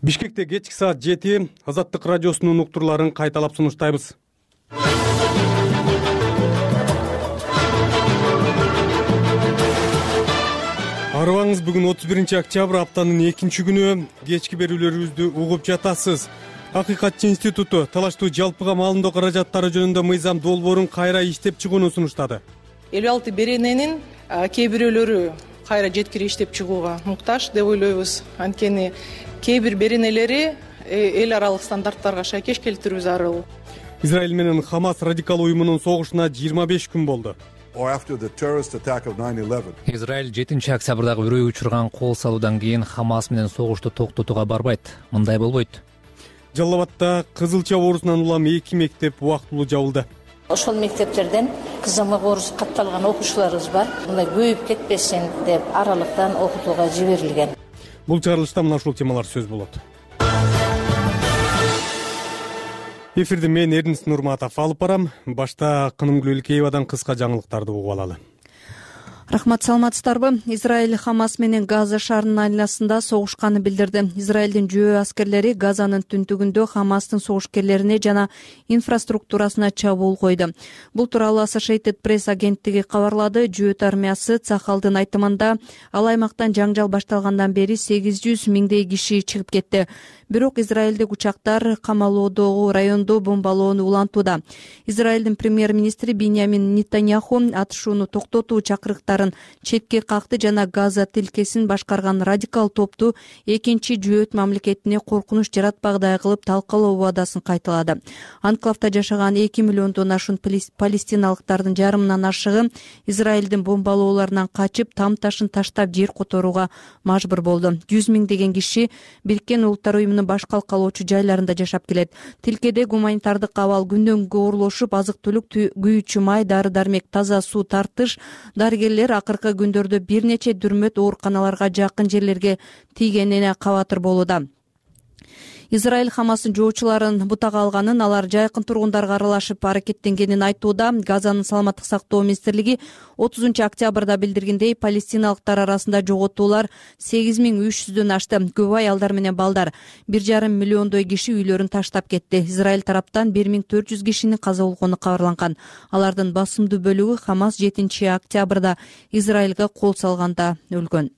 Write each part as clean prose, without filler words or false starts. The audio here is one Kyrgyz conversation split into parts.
Бишкекте кечки саат 7 Азаттык радиосунун уктурларын кайталап сунуштайбыз. Арыбаңыз, бүгүн 31 октябрь, аптанын 2 күнү. Кечки берүүлөрүбүздү угуп жатасыз. Акыйкатчы институту талаштуу жалпыга маалымдоо каражаттары жөнүндө мыйзам долбоорун кайра иштеп чыгууну сунуштады. 56 берененин кээ бирөөлөрү кайра жеткирип иштеп чыгууга муктаж деп ойлойбуз. Анткени кээ бир беренелери эл аралык стандарттарга шайкеш келтирүү зарыл. Израиль менен Хамас радикал уюмунун согушуна 25 күн болду. Израиль 7 октябрдагы үрөйгө учурган кол салуудан кийин Хамас менен согушту токтотууга барбайт. Мындай болбойт. Жалал Абадта Кызылча оорусунан улам 2 мектеп убактылуу жабылды. Ошол мектептерден кызамык оорусу катталган окуучуларыбыз бар. Мындай көйүп кетпесин деп аралыктан окутууга жиберилген. Бул чыгарылышта мына ушул темалар сөз болот. Эфирди мен Эрнис Нурматов алып барам. Башта Кынымгүл Илкеевадан кыска жаңылыктарды угуп алалы. Рахмат, саламатсыздарбы? Израиль Хамас менен Газа шаарынын айланасында согушканын билдирди. Израилдин жөө аскерлери Газанын түндүгүндө Хамастын согушкерлерине жана инфраструктурасына чабуул койду. Бул тууралуу Associated Press агенттиги кабарлады. Жөөт армиясы Цахалдын айтымында ал аймактан жаңжал башталгандан бери 800 миңдей киши чыгып кетти. Бирок израилдик учактар камалоодогу райондо бомбалоону улантууда. Израилдин премьер-министри Биньямин Нетаньяху атышууну токтотуу чакырыктарын четке какты жана Газа тилкесин башкарган радикал топту экинчи жөөт мамлекетине коркунуч жаратпагыдай кылып талкалоо убадасын кайталады. Анклавда жашаган 2 миллиондон ашуун палестиналыктардын жарымынан ашыгы Израилдин бомбалоолорунан качып, там ташын таштап жер которууга мажбур болду. 100 миңдеген киши Бириккен Улуттар уюмунун баш калкалоочу жайларында жашап келет. Тилкеде гуманитардык абал күндөн-күнгө оорлошуп, азык-түлүк, күйүүчү май, дары-дармек, таза суу тартыш, дарыгерлер акыркы күндөрдө бир нече дүрмөт ооруканаларга жакын жерлерге тийгенине кабатыр болууда. Израиль Хамастын жоочуларын бутага алганын, алар жайкын тургундарга аралашып аракеттенгенин айтууда. Газанын саламаттык сактоо министрлиги 30 октябрда билдиргендей, палестиналыктар арасында жоготуулар 8300дөн ашты. Көп аялдар менен балдар, 1,5 миллиондой киши үйлөрүн таштап кетти. Израиль тараптан 1400 кишинин каза болгону кабарланган. Алардын басымдуу бөлүгү Хамас 7 октябрда Израилге кол салганда өлгөн.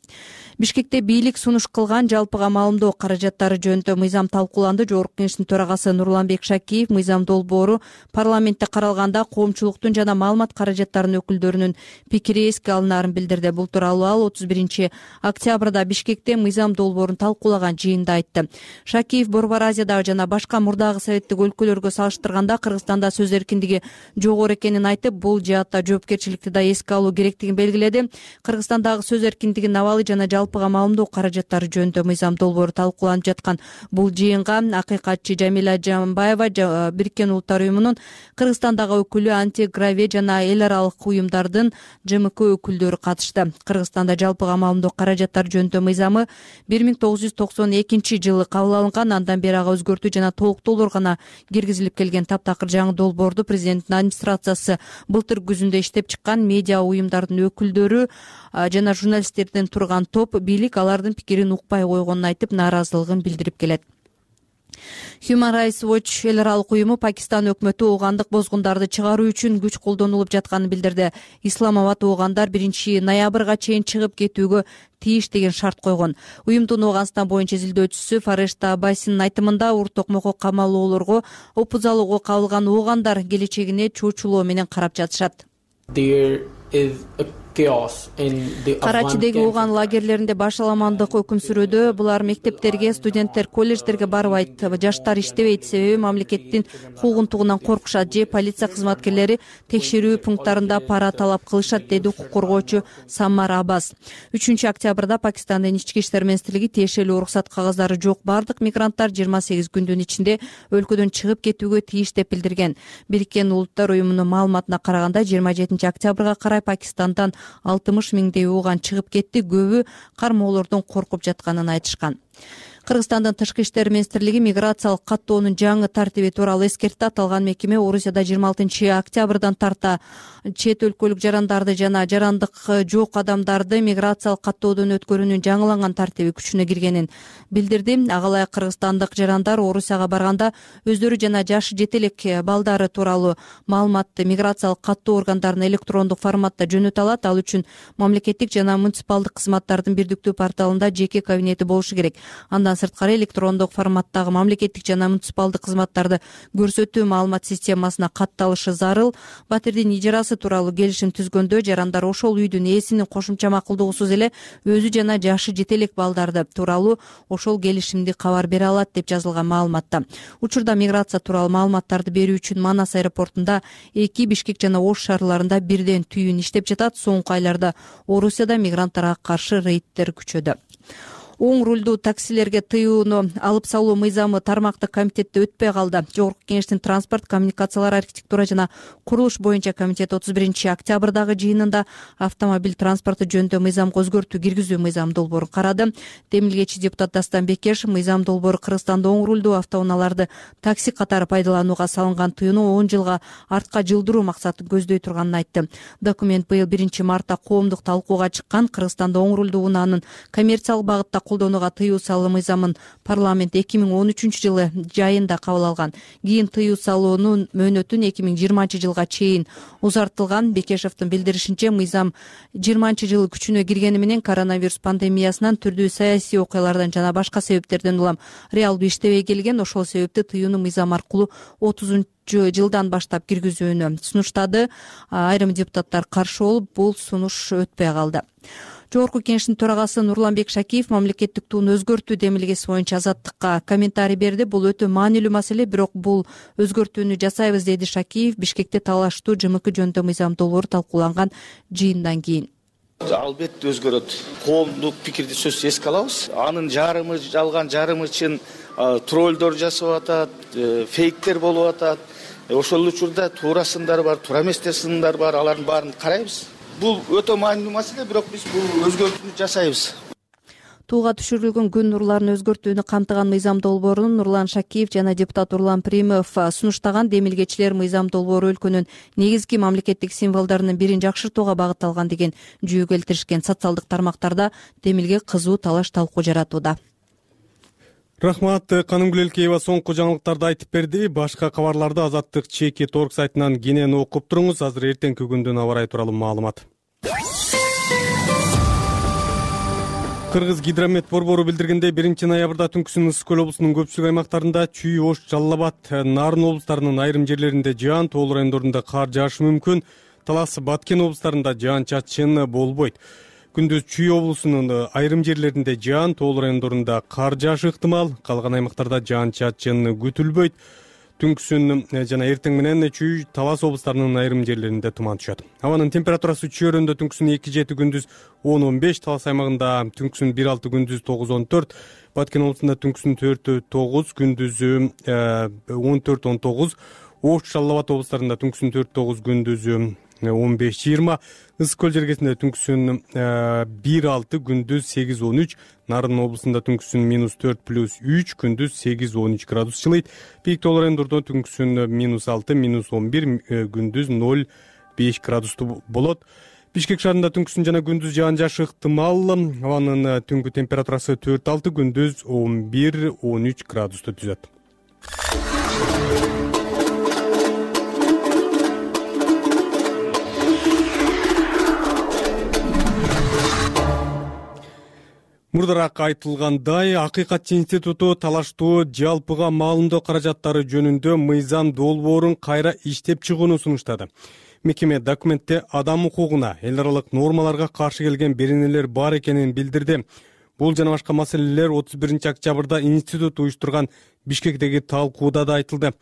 Бишкекте бийлик сунуш кылган жалпыга маалымдоо каражаттары жөнүндө мыйзам талкууланды. Жогорку кеңештин төрагасы Нурланбек Шакиев мыйзам долбоору парламентте каралганда коомчулуктун жана маалымат каражаттарынын өкүлдөрүнүн пикири эске алынаарын билдирди. Бул тууралуу ал 31 октябрда Бишкекте мыйзам долбоорун талкуулаган жыйында айтты. Шакиев Борбор Азиядагы жана башка мурдагы советтик өлкөлөргө салыштырганда Кыргызстанда сөз эркиндиги жогору экенин айтып, бул жаатта жоопкерчиликти да эске алуу керектигин белгиледи. Кыргызстандагы сөз эркиндигинин абалы жана жалпыга маалымдоо каражаттары жөнүндө мыйзам долбоору талкууланып жаткан бул жыйынга акыйкатчы Жамиля Жамбаева, Бириккен Улуттар уюмунун Кыргызстандагы өкүлү Антиграве жана эл аралык уюмдардын ЖМК өкүлдөрү катышты. Кыргызстанда жалпыга маалымдоо каражаттары жөнүндө мыйзамы 1992 жылы кабыл алынган. Андан бери ага өзгөртүү жана толуктоолор гана киргизилип келген. Таптакыр жаңы долбоорду президенттин администрациясы былтыр күзүндө иштеп чыккан. Медиа уюмдардын өкүлдөрү жана журналисттерден турган топ бийлик алардын пикирин укпай койгонун айтып, нааразылыгын билдирип келет. Human Rights Watch эл аралык уюму Пакистан өкмөтү оогандык бозгундарды чыгаруу үчүн күч колдонулуп жатканын билдирди. Исламабад оогандар 1 ноябрга чейин чыгып кетүүгө тийиш деген шарт койгон. Уюмдун Ооганстан боюнча изилдөөчүсү Фарешта Аббасинин айтымында, уртокмокко камалоолорго, опузалууга кабылган оогандар келечегине чоочулоо менен карап жатышат. Карачидеги ооган лагерлеринде башаламандык өкүм сүрүүдө. Булар мектептерге, студенттер колледждерге барбайт. Жаштар иштебейт, себеби мамлекеттин куугунтугунан коркушат же полиция кызматкерлери текшерүү пункттарында пара талап кылышат, деди укук коргоочу Саммар Аббас. 3 октябрда Пакистандын ички иштер министрлиги тиешелүү уруксат кагаздары жок бардык мигранттар 28 күндүн ичинде өлкөдөн чыгып кетүүгө тийиш деп билдирген. Бириккен Улуттар уюмунун маалыматына караганда 27 октябрга карай Пакистандан 60 миңдей ооган чыгып кетти. Көбү кармоолордон коркуп жатканын айтышкан. Кыргызстандын Тышкы иштер министрлиги миграциялык каттоонун жаңы тартиби тууралуу эскертти. Аталган мекеме Орусияда 26 октябрдан тарта чет өлкөлүк жарандарды жана жарандык жок адамдарды миграциялык каттоодон өткөрүүнүн жаңыланган тартиби күчүнө киргенин билдирди. Ага ылайык кыргызстандык жарандар Орусияга барганда өздөрү жана жашы жете элек балдары тууралуу маалыматты миграциялык каттоо органдарына электрондук форматта жөнөтө алат. Ал үчүн мамлекеттик жана муниципалдык кызматтардын бирдиктүү порталында жеке кабинети болушу керек. Андан сырткары электрондук форматтагы мамлекеттик жана муниципалдык кызматтарды көрсөтүү маалымат системасына катталышы зарыл. Батирдин ижарасы тууралуу келишим түзгөндө жарандар ошол үйдүн ээсинин кошумча макулдугусуз эле өзү жана жашы жете элек балдарды тууралуу ошол келишимди кабар бере алат деп жазылган маалыматта. Учурда миграция тууралуу маалыматтарды берүү үчүн Манас аэропортунда 2, Бишкек жана Ош шаарларында бирден түйүн иштеп жатат. Соңку айларда Орусияда мигранттарга каршы рейдтер күчөдү. Оң рулдуу таксилерге тыюуну алып салуу мыйзамы тармактык комитетте өтпөй калды. Жогорку Кеңештин транспорт, коммуникациялар, архитектура жана курулуш боюнча комитет 31 октябрдагы жыйынында автомобиль транспорту жөнүндө мыйзамга өзгөртүү киргизүү мыйзам долбоорун карады. Демилгечи депутат Дастан Бекешев мыйзам долбоору Кыргызстанда оң рулдуу автоунааларды такси катары пайдаланууга салынган тыюуну 10 жылга артка жылдыруу максатын көздөй турганын айтты. Документ быйыл 1 мартта коомдук талкууга чыккан. Кыргызстанда оң рулдуу унаанын коммерциялык багытта колдонууга тыюу салуу мыйзамын парламент 2013 жылы жайында кабыл алган. Кийин тыюу салуунун мөөнөтүн 2020 жылга чейин узартылган. Бекешевдин билдиришинче, мыйзам 20 жылы күчүнө киргени менен коронавирус пандемиясынан, түрдүү саясий окуялардан жана башка себептерден улам реалдуу иштебей келген. Ошол себепти тыюуну мыйзам аркылуу 30 жылдан баштап киргизүүнү сунуштады. Айрым депутаттар каршы болуп, бул сунуш өтпөй калды. Жогорку Кеңештин төрагасы Нурланбек Шакиев мамлекеттик тууну өзгөртүү демилгеси боюнча Азаттыкка комментарий берди. Бул өтө маанилүү маселе, бирок бул өзгөртүүнү жасайбыз, деди Шакиев Бишкекте талаштуу ЖМК жөнүндө мыйзам долбоору талкууланган жыйындан кийин. Албетте өзгөрөт. Коомдук пикирди сөзсүз эске алабыз. Анын жарымы жалган, жарымы чын троллдор жасап атат, фейктер болуп атат. Ошол учурда туура сындар бар, туура эместер сындар бар, алардын баарын карайбыз. Бул өтө маанилүү маселе, бирок биз бул өзгөртүүнү жасайбыз. Тууга түшүрүлгөн күн нурларын өзгөртүүнү камтыган мыйзам долбоорун Нурлан Шакиев жана депутат Урлан Примов сунуштаган. Демилгечилер мыйзам долбоору өлкөнүн негизги мамлекеттик символдорунун бирин жакшыртууга багытталган деген жүйө келтиришкен. Социалдык тармактарда демилге кызуу талаш талкуу жаратууда. Рахмат, Канымгүл Элкеева соңку жаңылыктарды айтып берди. Башка кабарларды Азаттык ЧК.org сайтынан кенен окуп туруңуз. Азыр эртеңки күндүн аба ырайы тууралуу маалымат. Кыргыз гидромет борбору билдиргендей, 1 ноябрда түнкүсүн Ысык көл облусунун көпчүлүк аймактарында Чүй, Ош, Жалал Абад, Нарын облустарынын айрым жерлеринде жаан, тоол райондорунда кар жаашы мүмкүн. Талас, Баткен облустарында жаан-чачын болбойт. Күндүз Чүй облусунун айрым жерлеринде жаан, тоол райондорунда кар жаашы ыктымал, калган аймактарда жаан-чачын күтүлбөйт. Түнкүсүн жана эртең менен Чүй, Талас облустарынын айрым жерлеринде туман түшөт. Абанын температурасы Чүйөрөндө түнкүсүн 2-7, күндүз 10-15, Талас аймагында түнкүсүн 1-6, күндүз 9-14, Баткен облусунда түнкүсүн 4-9, күндүзү 14-19, Ош, Жалал Абад облустарында түнкүсүн 4-9, күндүзү 15-20, Ысык көл жергесинде түнкүсүн 1-6, күндүз 8-13, Нарын облусунда түнкүсүн -4+3, күндүз 8-13 градус жылыйт. Бийик тоол райондордо түнкүсүн -6, -11, күндүз 0-5 градустуу болот. Бишкек шаарында түнкүсүн жана күндүз жаан жаашы ыктымал. Абанын түнгү температурасы 4-6, күндүз 11-13 градусту түзөт. Мурдараак айтылгандай, Акыйкатчы институту талаштуу жалпыга маалымдоо каражаттары жөнүндө мыйзам долбоорун кайра иштеп чыгууну сунуштады. Мекеме документте адам укугуна, эл аралык нормаларга каршы келген беренелер бар экенин билдирди. Бул жана башка маселелер 31 октябрда институт уюштурган Бишкектеги талкууда да айтылды.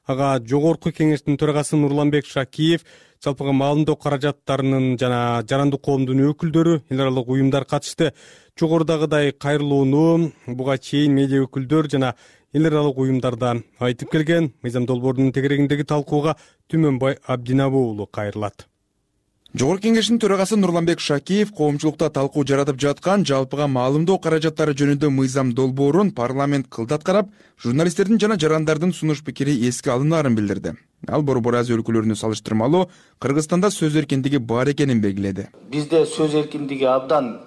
Ага Жогорку Кеңештин төрагасы Нурланбек Шакиев жалпыга маалымдоо каражаттарынын жана жарандык коомдун өкүлдөрү, эл аралык уюмдар катышты. Жогорудагыдай кайрылууну буга чейин медиа өкүлдөр жана эл аралык уюмдарда айтып келген. Мыйзам долбоорунун тегерегиндеги талкууга Түмөнбай Абдинабы уулу кайрылат. Жогорку Кеңештин төрагасы Нурланбек Шакиев коомчулукта талкуу жаратып жаткан жалпыга маалымдоо каражаттары жөнүндө мыйзам долбоорун парламент кылдат карап, журналисттердин жана жарандардын сунуш пикири эске алынаарын билдирди. Ал Борбор Азия өлкөлөрүнө салыштырмалуу Кыргызстанда сөз эркиндиги бар экенин белгиледи. Бизде сөз эркиндиги абдан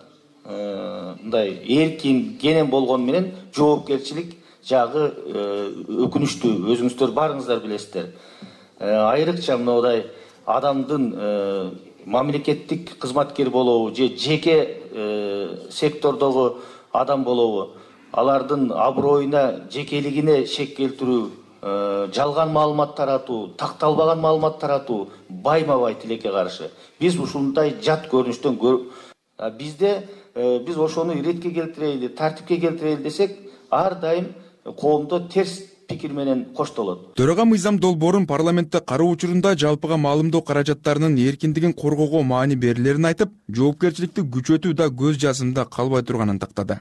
мындай эркин, кенен болгону менен жоопкерчилик жагы өкүнүчтүү. Өзүңүздөр барыңыздар билесиздер. Айрыкча мындай адамдын мамлекеттик кызматкер болобу же жеке сектордогу адам болобу, алардын аброюна, жекелигине шек келтирүү, жалган маалымат таратуу, такталбаган маалымат таратуу байма-бай тилекке каршы. Биз ушундай жат көрүнүштөн бизде биз ошону иретке келтирели, тартипке келтирели десек, ар дайым коомдо терс пикир менен коштолот. Төрага мыйзам долбоорун парламентте кароо учурунда жалпыга маалымдоо каражаттарынын эркиндигин коргоого маани берилерин айтып, жоопкерчиликти күчөтүү да көз жазымда калбай турганын тактады.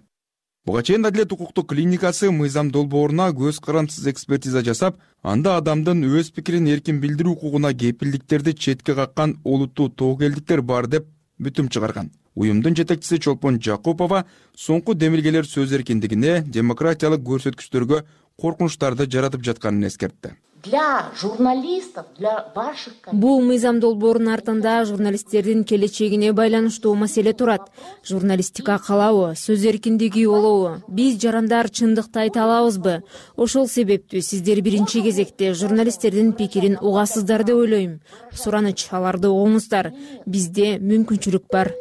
Буга чейин Адилет укуктук клиникасы мыйзам долбооруна көз карандысыз экспертиза жасап, анда адамдын өз пикирин эркин билдирүү укугуна кепилдиктерди четке каккан олуттуу тобокелдиктер бар деп бүтүм чыгарган. Уюмдун жетекчиси Чолпон Жакупова соңку демилгелер сөз эркиндигине, демократиялык көрсөткүчтөргө коркунучтарды жаратып жатканын эскертти. Для журналистов, для ваших... Бул мыйзам долбоорунун артында журналисттердин келечегине байланыштуу маселе турат. Журналистика калабы, сөз эркиндиги болобу? Биз жарандар чындыкты айта алабызбы? Ошол себептүү сиздер биринчи кезекте журналисттердин пикирин угасыздар деп ойлойм. Сураныч, аларды угуңуздар. Бизде мүмкүнчүлүк бар.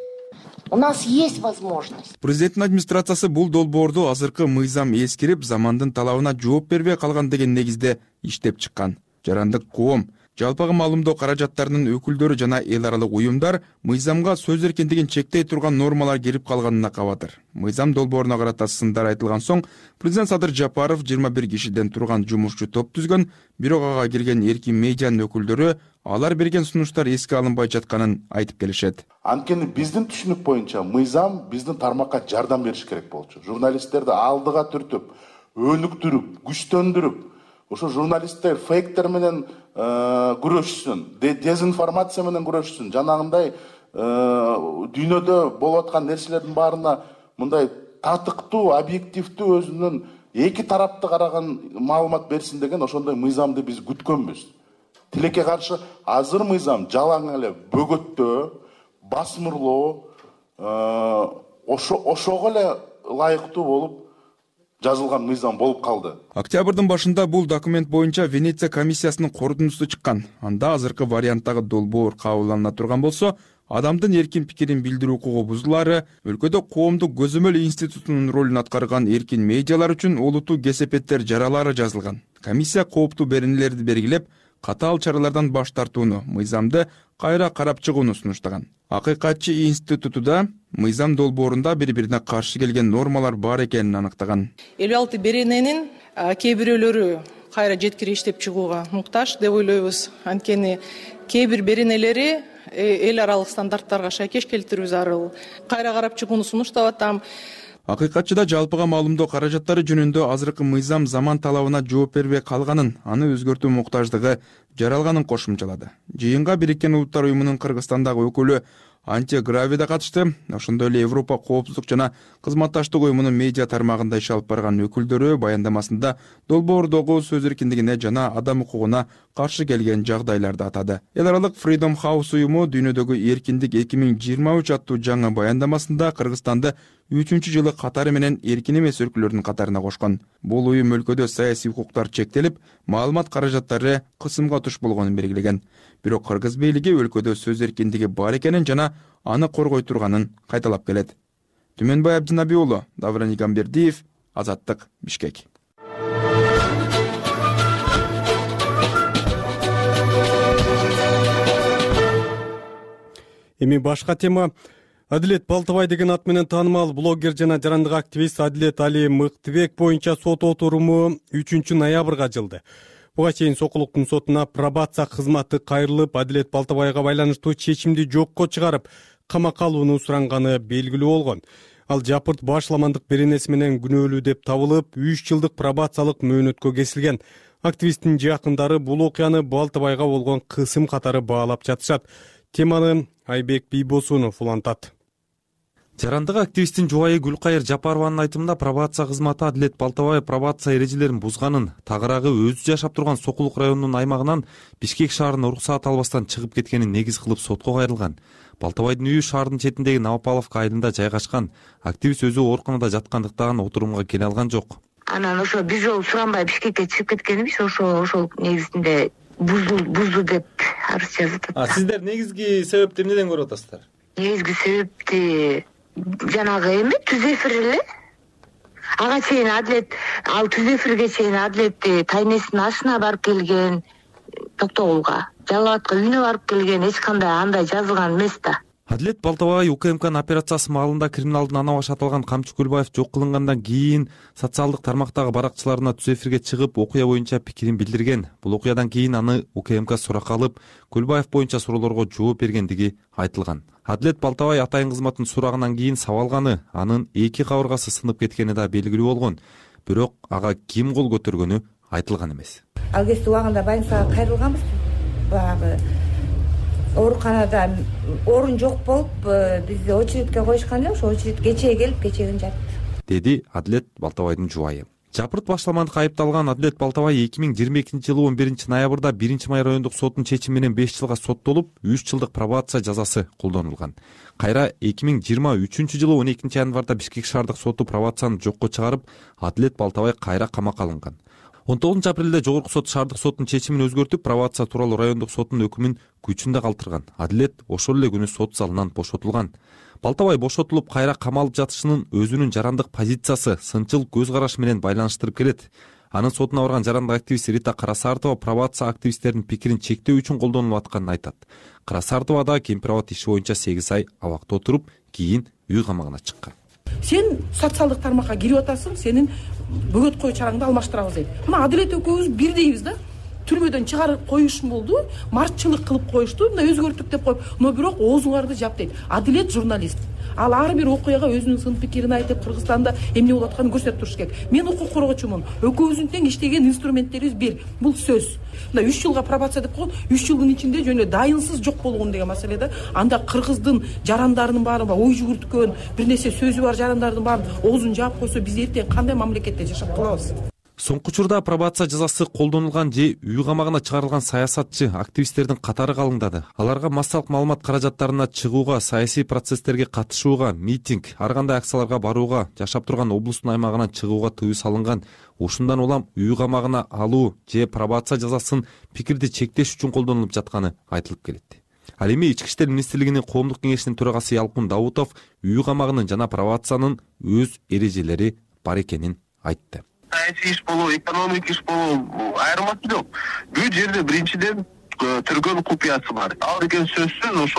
У нас есть возможность. Президенттин администрациясы бул долбоорду азыркы мыйзам эскирип, замандын талабына жооп бербей калган деген негизде иштеп чыккан. Жарандык коом, жалпыга маалымдоо каражаттарынын өкүлдөрү жана эл аралык уюмдар мыйзамга сөз эркиндигин чектей турган нормалар кирип калганына кабатыр. Мыйзам долбооруна карата сындар айтылган соң, президент Садыр Жапаров 21 кишиден турган жумушчу топ түзгөн, бирок ага кирген эркин медианын өкүлдөрү алар берген сунуштар эске алынбай жатканын айтып келишет. Анткени биздин түшүнүк боюнча мыйзам биздин тармакка жардам бериш керек болчу. Журналисттерди алдыга түртүп, өнүктүрүп, күчтөндүрүп, ошо журналисттер фейктер менен күрөшсүн, дезинформация менен күрөшсүн. Жанагындай дүйнөдө болуп аткан нерселердин баарына мындай татыктуу, объективдүү өзүнүн эки тарапты караган маалымат берсин деген ошондой мыйзамды биз күткөнбүз. Тилекке каршы азыр мыйзам жалаң эле бөгөттөө, басмырлоо, ошого эле ылайыктуу болуп жазылган мыйзам болуп калды. Октябрдын башында бул документ боюнча Венеция комиссиясынын корутундусу чыккан. Анда азыркы варианттагы долбоор кабылдана турган болсо, адамдын эркин пикирин билдирүү укугу бузулаары, өлкөдө коомдук көзөмөл институтунун ролун аткарган эркин медиалар үчүн олуттуу кесепеттер жаралары жазылган. Комиссия кооптуу беренелерди белгилеп, катаал чаралардан баш тартууну, мыйзамды кайра карап чыгууну сунуштаган. Акыйкатчы институту да мыйзам долбоорунда бири-бирине каршы келген нормалар бар экенин аныктаган. 56 берененин кээ бирөөлөрү кайра жеткире иштеп чыгууга муктаж деп ойлойбуз. Анткени кээ бир беренелери эл аралык стандарттарга шайкеш келтирүү зарыл. Кайра карап чыгууну сунуштап атам. Акыйкатчыда жалпыга маалымдоо каражаттары жөнүндө азыркы мыйзам заман талабына жооп бербей калганын, аны өзгөртүү муктаждыгы жаралганын кошумчалады. Жыйынга Бириккен Улуттар уюмунун Кыргызстандагы өкүлү Анте Грави да катышты. Ошондой эле Европа коопсуздук жана кызматташтык уюмунун медиа тармагында иш алып барган өкүлдөрү баяндамасында долбоордогу сөз эркиндигине жана адам укугуна каршы келген жагдайларды атады. Эл аралык Freedom House уюму дүйнөдөгү эркиндик 2023 аттуу жаңы баяндамасында Кыргызстанды 3-жылы катары менен эркин эмес өлкөлөрдүн катарына кошкон. Бул уюм өлкөдө саясий укуктар чектелип, маалымат каражаттары кысымга туш болгонун белгилеген. Бирок Кыргыз бийлиги өлкөдө сөз эркиндиги бар экенин жана аны коргой турганын кайталап келет. Түмөнбай Абдинаби уулу, Давран Игамбердиев, Азаттык, Бишкек. Эми башка тема. Адилет Балтабай деген ат менен таанымал блогер жана жарандык активист Адилет Али Мыктыбек боюнча сот отуруму 3-ноябрга жылды. Буга чейин Сокулуктун сотуна пробация кызматы кайрылып, Адилет Балтабайга байланыштуу чечимди жокко чыгарып, камакка алууну суранганы белгилүү болгон. Ал жапырт башламандык беренеси менен күнөөлүү деп табылып, 3 жылдык пробациялык мөөнөткө кесилген. Активисттин жакындары бул окуяны Балтабайга болгон кысым катары баалап жатышат. Теманы Айбек Бийбосунов улантат. Жарандык активисттин жубайы Гүлкайыр Жапарованын айтымында пробация кызматы Адилет Балтабаев пробация эрежелерин бузганын, тагыраагы өзү жашап турган Сокулук районунун аймагынан Бишкек шаарына уруксаат албастан чыгып кеткенин негиз кылып сотко кайрылган. Балтабайдын үйү шаардын четиндеги Новопавловка айылында жайгашкан. Активист өзү ооруканада жаткандыктан отурумга келе алган жок. Анан ошо биз жолу суранбай Бишкекке чыгып кеткенбиз, ошол негизинде бузду деп арыз жазып атат. Сиздер негизги себепти эмнеден көрүп атасыздар? Негизги себепти жанагы эме түз эфир эле. Ага чейин Адилет, ал түз эфирге чейин Адилет тайнесинин ашына барып келген, Токтогулга, Жалал Абадка үйүнө барып келген, эч кандай андай жазылган эмес да. Адилет Балтабаев УКМКнын операциясы маалында криминалдын ана башы аталган Камчы Көлбаев жок кылынгандан кийин социалдык тармактагы баракчыларына түз эфирге чыгып окуя боюнча пикирин билдирген. Бул окуядан кийин аны УКМК суракка алып, Көлбаев боюнча суроолорго жооп бергендиги айтылган. Адилет Балтабаев атайын кызматтын сурагынан кийин сабалганы, анын 2 кабыргасы сынып кеткени да белгилүү болгон. Бирок ага ким кол көтөргөнү айтылган эмес. Ал кезде убагында больницага кайрылганбыз. Баягы ооруканада орун жок болуп, бизди очередке коюшкан эле, ошо очередке кечээ келип, кечээген жатты, деди Адилет Балтабаевдин жубайы. Жапырт башламандыкка айыпталган Адилет Балтабаев 2022-жылы 11-ноябрда 1-май райондук соттун чечими менен 5 жылга соттолуп, 3 жылдык пробация жазасы колдонулган. Кайра 2023-жылы 12-январда Бишкек шаардык соту пробацияны жокко чыгарып, Адилет Балтабаев кайра камакка алынган. 19-апрелде жогорку сот шаардык соттун чечимин өзгөртүп, пробация тууралуу райондук соттун өкүмүн күчүндө калтырган. Адилет ошол эле күнү сот залынан бошотулган. Балтабаев бошотулуп, кайра камалып жатышынын өзүнүн жарандык позициясы, сынчыл көз карашы менен байланыштырып келет. Анын сотуна барган жарандык активист Рита Карасартова пробация активисттердин пикирин чектөө үчүн колдонулуп атканын айтат. Карасартова да Кемпирабад иши боюнча 8 ай абакта отуруп, кийин үй камагына чыккан. Сен социалдык тармакка кирип атасың, сенин бөгөт кою чараңды алмаштырабыз дейт. Мына Адилет экөөбүз бирдейбиз да. Түрмөдөн чыгарып коюшум болду, мартчылык кылып коюшту, мына өзгөрттүк деп коюп, но бирок оозуңарды жап дейт. Адилет журналист. Ал ар бир окуяга өзүнүн сын пикирин айтып, Кыргызстанда эмне болуп атканын көрсөтүп туруш керек. Мен укук коргоочумун. Экөөбүздүн тең иштеген инструменттерибиз бир. Бул сөз. Мына 3 жылга пробация деп койгон, 3 жылдын ичинде жөнө дайынсыз жок болгон деген маселе да. Анда кыргыздын жарандарынын баары ой жүгүрткөн, бир нерсе сөзү бар жарандардын баарын оозун жаап койсо, биз эртең кандай мамлекетте жашап калабыз? Соңку учурда пробация жазасы колдонулган же үй камагына чыгарылган саясатчы, активисттердин катары калыңдады. Аларга массалык маалымат каражаттарына чыгууга, саясий процесстерге катышууга, митинг, ар кандай акцияларга барууга, жашап турган облустун аймагынан чыгууга тыюу салынган. Ушундан улам үй камагына алуу же пробация жазасын пикирди чектеш үчүн колдонулуп жатканы айтылып келет. Ал эми Ички иштер министрлигинин коомдук кеңешинин төрагасы Ялкын Даутов үй камагынын жана пробациянын өз эрежелери бар экенин айтты. Саясий иш болобу, экономик иш болобу айырмасы жок. Бул жерде биринчиден түргөн купуясы бар. Ал деген сөзсүз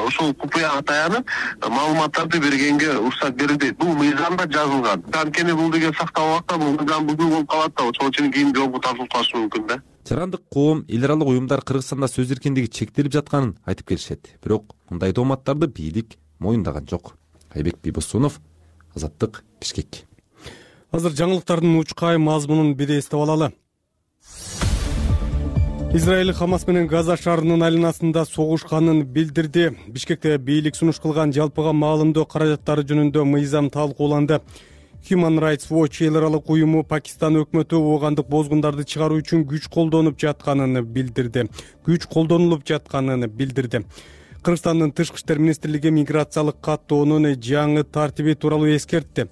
ошол купуяга таянып маалыматтарды бергенге уруксат берилбейт. Бул мыйзамда жазылган. Анткени бул деген сакталбакта бул мыйзам бузуу болуп калат да, ошол үчүн кийин жоопко тартылып калышы мүмкүн да. Жарандык коом, эл аралык уюмдар Кыргызстанда сөз эркиндиги чектелип жатканын айтып келишет. Бирок мындай тооматтарды бийлик моюндаган жок. Айбек Бийбосунов, Азаттык, Бишкек. Азыр жаңылыктардын учкай мазмунун бир эстеп алалы. Израиль Хамас менен Газа шаарынын айланасында согушканын билдирди. Бишкекте бийлик сунуш кылган жалпыга маалымдоо каражаттары жөнүндө мыйзам талкууланды. Human Rights Watch эл аралык уюму Пакистан өкмөтү оогандык бозгундарды чыгаруу үчүн күч колдонуп жатканын билдирди. Кыргызстандын Тышкы иштер министрлиги миграциялык каттоонун жаңы тартиби тууралуу эскертти.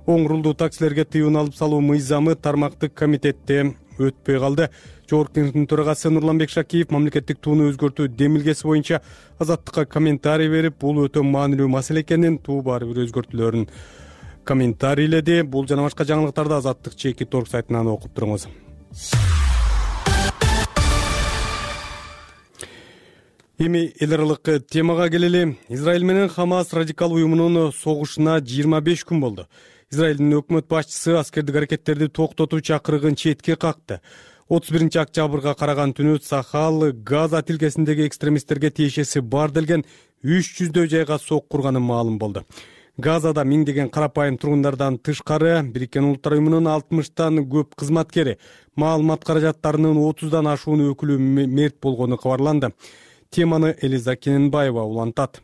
Оң рулдуу таксилерге тыюун алып салуу мыйзамы тармактык комитетте өтпөй калды. Жогорку кеңештин төрагасы Нурланбек Шакиев мамлекеттик тууну өзгөртүү демилгеси боюнча Азаттыкка комментарий берип, бул өтө маанилүү маселе экенин, туу баары бир өзгөртүүлөрүн комментарийледи. Бул жана башка жаңылыктарды Азаттык чеки торг сайтынан окуп туруңуз. Эми эл аралык темага келели. Израиль менен Хамас радикал уюмунун согушуна 25 күн болду. Израилдин өкмөт башчысы аскердик аракеттерди токтотуу чакырыгын четке какты. 31-октябрга караган түнү Сахал Газа тилкесиндеги экстремисттерге тиешеси бар делген 300 жайга сок курганы маалым болду. Газада миңдеген карапайым тургундардан тышкары Бириккен Улуттар уюмунун 60тан көп кызматкери, маалымат каражаттарынын 30дан ашуун өкүлү мерт болгону кабарланды. Теманы Элиза Кененбаева улантат.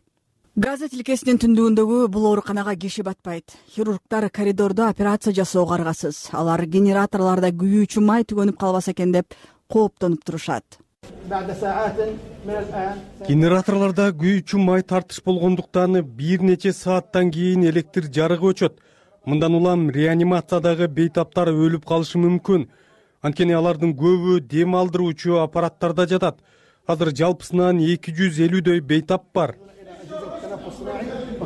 Газа тилкесинин түндүгүндөгү бул ооруканага киши батпайт. Хирургдар коридордо операция жасоого аргасыз. Алар генераторлордо күйүүчү май түгөнүп калбаса экен деп кооптонуп турушат. Генераторлордо күйүүчү май тартыш болгондуктан бир нече сааттан кийин электр жарыгы өчөт. Мындан улам реанимациядагы бейтаптар өлүп калышы мүмкүн. Анткени алардын көбү дем алдыруучу аппараттарда жатат. Азыр жалпысынан 250дөй бейтап бар,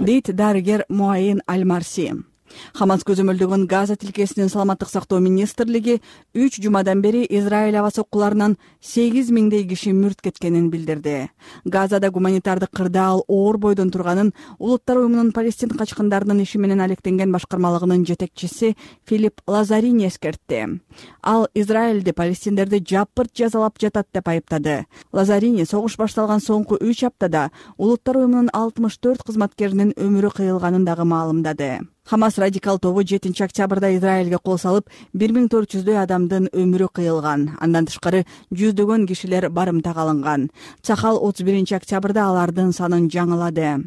дейт дарыгер Муайин Аль-Марси. Хамас көзөмөлдөгөн Газа тилкесинин саламаттык сактоо министрлиги 3 жумадан бери Израиль аба соккуларынан 8000дей киши мүрт кеткенин билдирди. Газада гуманитардык кырдаал оор бойдон турганын Улуттар уюмунун Палестин качкындарынын иши менен алектенген башкармалыгынын жетекчиси Филипп Лазарини эскертти. Ал Израилди палестиндерди жапырт жазалап жатат деп айыптады. Лазарини согуш башталган соңку 3 аптада Улуттар уюмунун 64 кызматкеринин өмүрү кыйылганын дагы маалымдады. Хамас радикал тобу 7 октябрда Израилге кол салып, 1400дөй адамдын өмүрү кыйылган. Андан тышкары жүздөгөн кишилер барымтага алынган. Цахал 31 октябрда алардын санын жаңылады.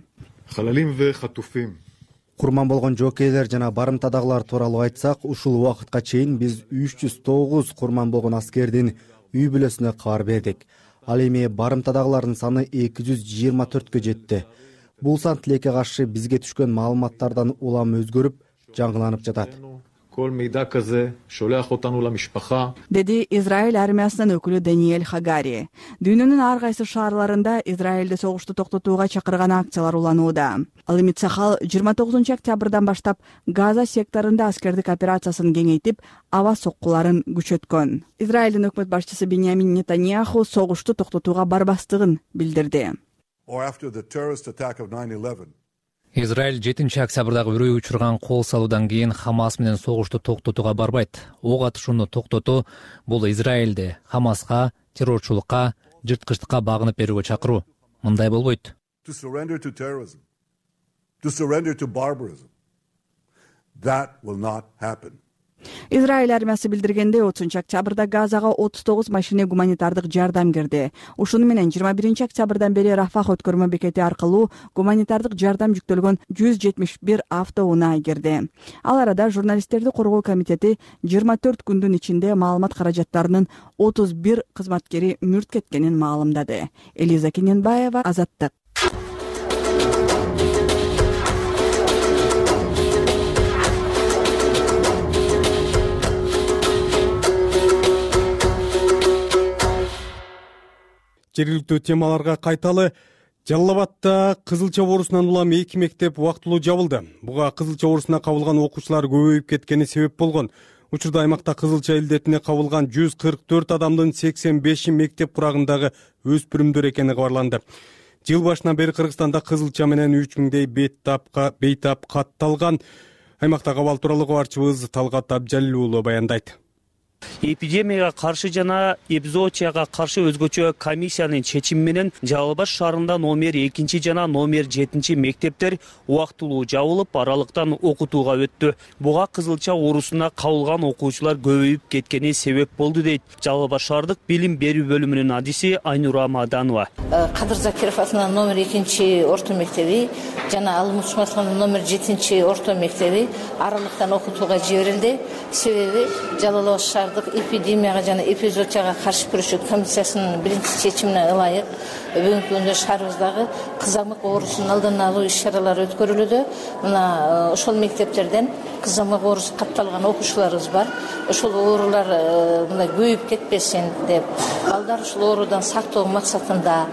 Курман болгон жокейлер жана барымтадагылар тууралуу айтсак, ушул убакытка чейин биз 309 курман болгон аскердин үй бүлөсүнө кабар бердик. Ал эми барымтадагылардын саны 224кө жетти. Бул сан тилекке каршы бизге түшкөн маалыматтардан улам өзгөрүп, жаңыланып жатат. Деди Израиль армиясынын өкүлү Даниэль Хагари. Дүйнөнүн ар кайсы шаарларында Израилде согушту токтотууга чакырган акциялар уланууда. Ал эми Цахал 29 октябрдан баштап Газа секторунда аскердик операциясын кеңейтип, аба соккуларын күчөткөн. Израилдин өкмөт башчысы Беньямин Нетаньяху согушту токтотууга барбастыгын билдирди. Израиль 7 октябрдагы үрөй учурган кол салуудан кийин Хамас менен согушту токтотууга барбайт. Ок атышууну токтотуу бул Израилди Хамаска, террорчулукка, жырткычтыкка багынып берүүгө чакыруу. Мындай болбойт. Израиль армиясы билдиргенде 30 октябрда Газага 39 машина гуманитардык жардам кирди. Ушуну менен 21 октябрдан бери Рафах өткөрмө бекети аркылуу гуманитардык жардам жүктөлгөн 171 автоунаа кирди. Ал арада журналисттерди коргоо комитети 24 күндүн ичинде маалымат каражаттарынын 31 кызматкери мүрт кеткенин маалымдады. Элиза Кененбаева, Азаттык. Жергиликтүү темаларга кайталы. Жалал Абадда Кызылча боорусунан улам 2 мектеп убактылуу жабылды. Буга Кызылча боорусуна кабылган окуучулар көбөйүп кеткени себеп болгон. Учурда аймакта Кызылча илдетине кабылган 144 адамдын 85 мектеп курагындагы өспүрүмдөр экени кабарланды. Жыл башынан бери Кыргызстанда Кызылча менен 3000дей бейтап катталган. Аймактагы абал тууралуу кабарчыбыз Талгат Абжалил уулу баяндайт. Эпидемияга каршы жана эпизоотияга каршы өзгөчө комиссиянын чечими менен Жалал Абад шаарында номер 2 жана номер 7 мектептер убактылуу жабылып, аралыктан окутууга өттү. Буга Кызылча оорусуна кабылган окуучулар көбөйүп кеткени себеп болду дейт Жалал Абад шаардык билим берүү бөлүмүнүн адиси Айнура Маданова. Кадыр Закиров атынан номер 2 орто мектеби жана Алмуш Масханов номер 7 орто мектеби аралыктан окутууга жиберилди. Себеби Жалал Абад шаардык эпидемияга жана эпизоотияга каршы күрөшүү комиссиясынын биринчи чечимине ылайык бүгүнкү күндө шаарыбыздагы кызамык оорусунун алдын алуу иш-чаралары өткөрүлүүдө. Мына ошол мектептерден кызамык оорусу катталган окуучуларыбыз бар. Ошол оорулар мындай көбөйүп кетпесин деп, балдар ушул оорудан сактоо максатында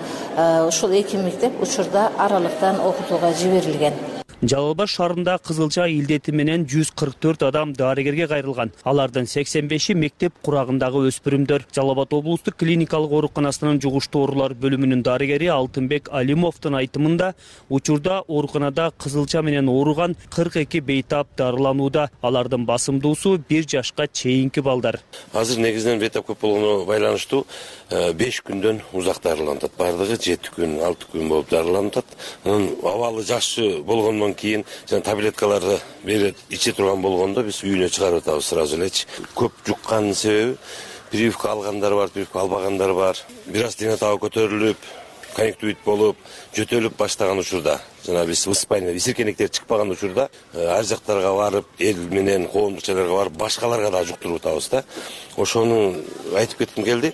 ошол 2 мектеп учурда аралыктан окутууга жиберилген. Жалал Абад шаарында Кызылча илдети менен 144 адам дарыгерге кайрылган. Алардын 85 мектеп курагындагы өспүрүмдөр. Жалал Абад облустук клиникалык ооруканасынын жугуштуу оорулар бөлүмүнүн дарыгери Алтынбек Алимовдун айтымында, учурда ооруканада Кызылча менен ооруган 42 бейтап дарыланууда. Алардын басымдуусу 1 жашка чейинки балдар. Азыр негизинен бейтап көп болгону байланыштуу 5 күндөн узак дарыланат. Бардыгы 7 күн, 6 күн болуп дарыланат. Анын абалы жакшы болгондон кийин жана таблеткаларды берет иче турган болгондо биз үйүнө чыгарып атабыз сразу элечи. Көп жукканын себеби прививка алгандар бар, прививка албагандар бар. Бир аз дене табы көтөрүлүп, конъюнктивит болуп жөтөлүп баштаган учурда, жана биз воспаление исиркенектер чыкпаган учурда ар жактарга барып, эл менен коомдук жайларга барып, башкаларга дагы жуктуруп атабыз да. Ошону айтып кетким келди.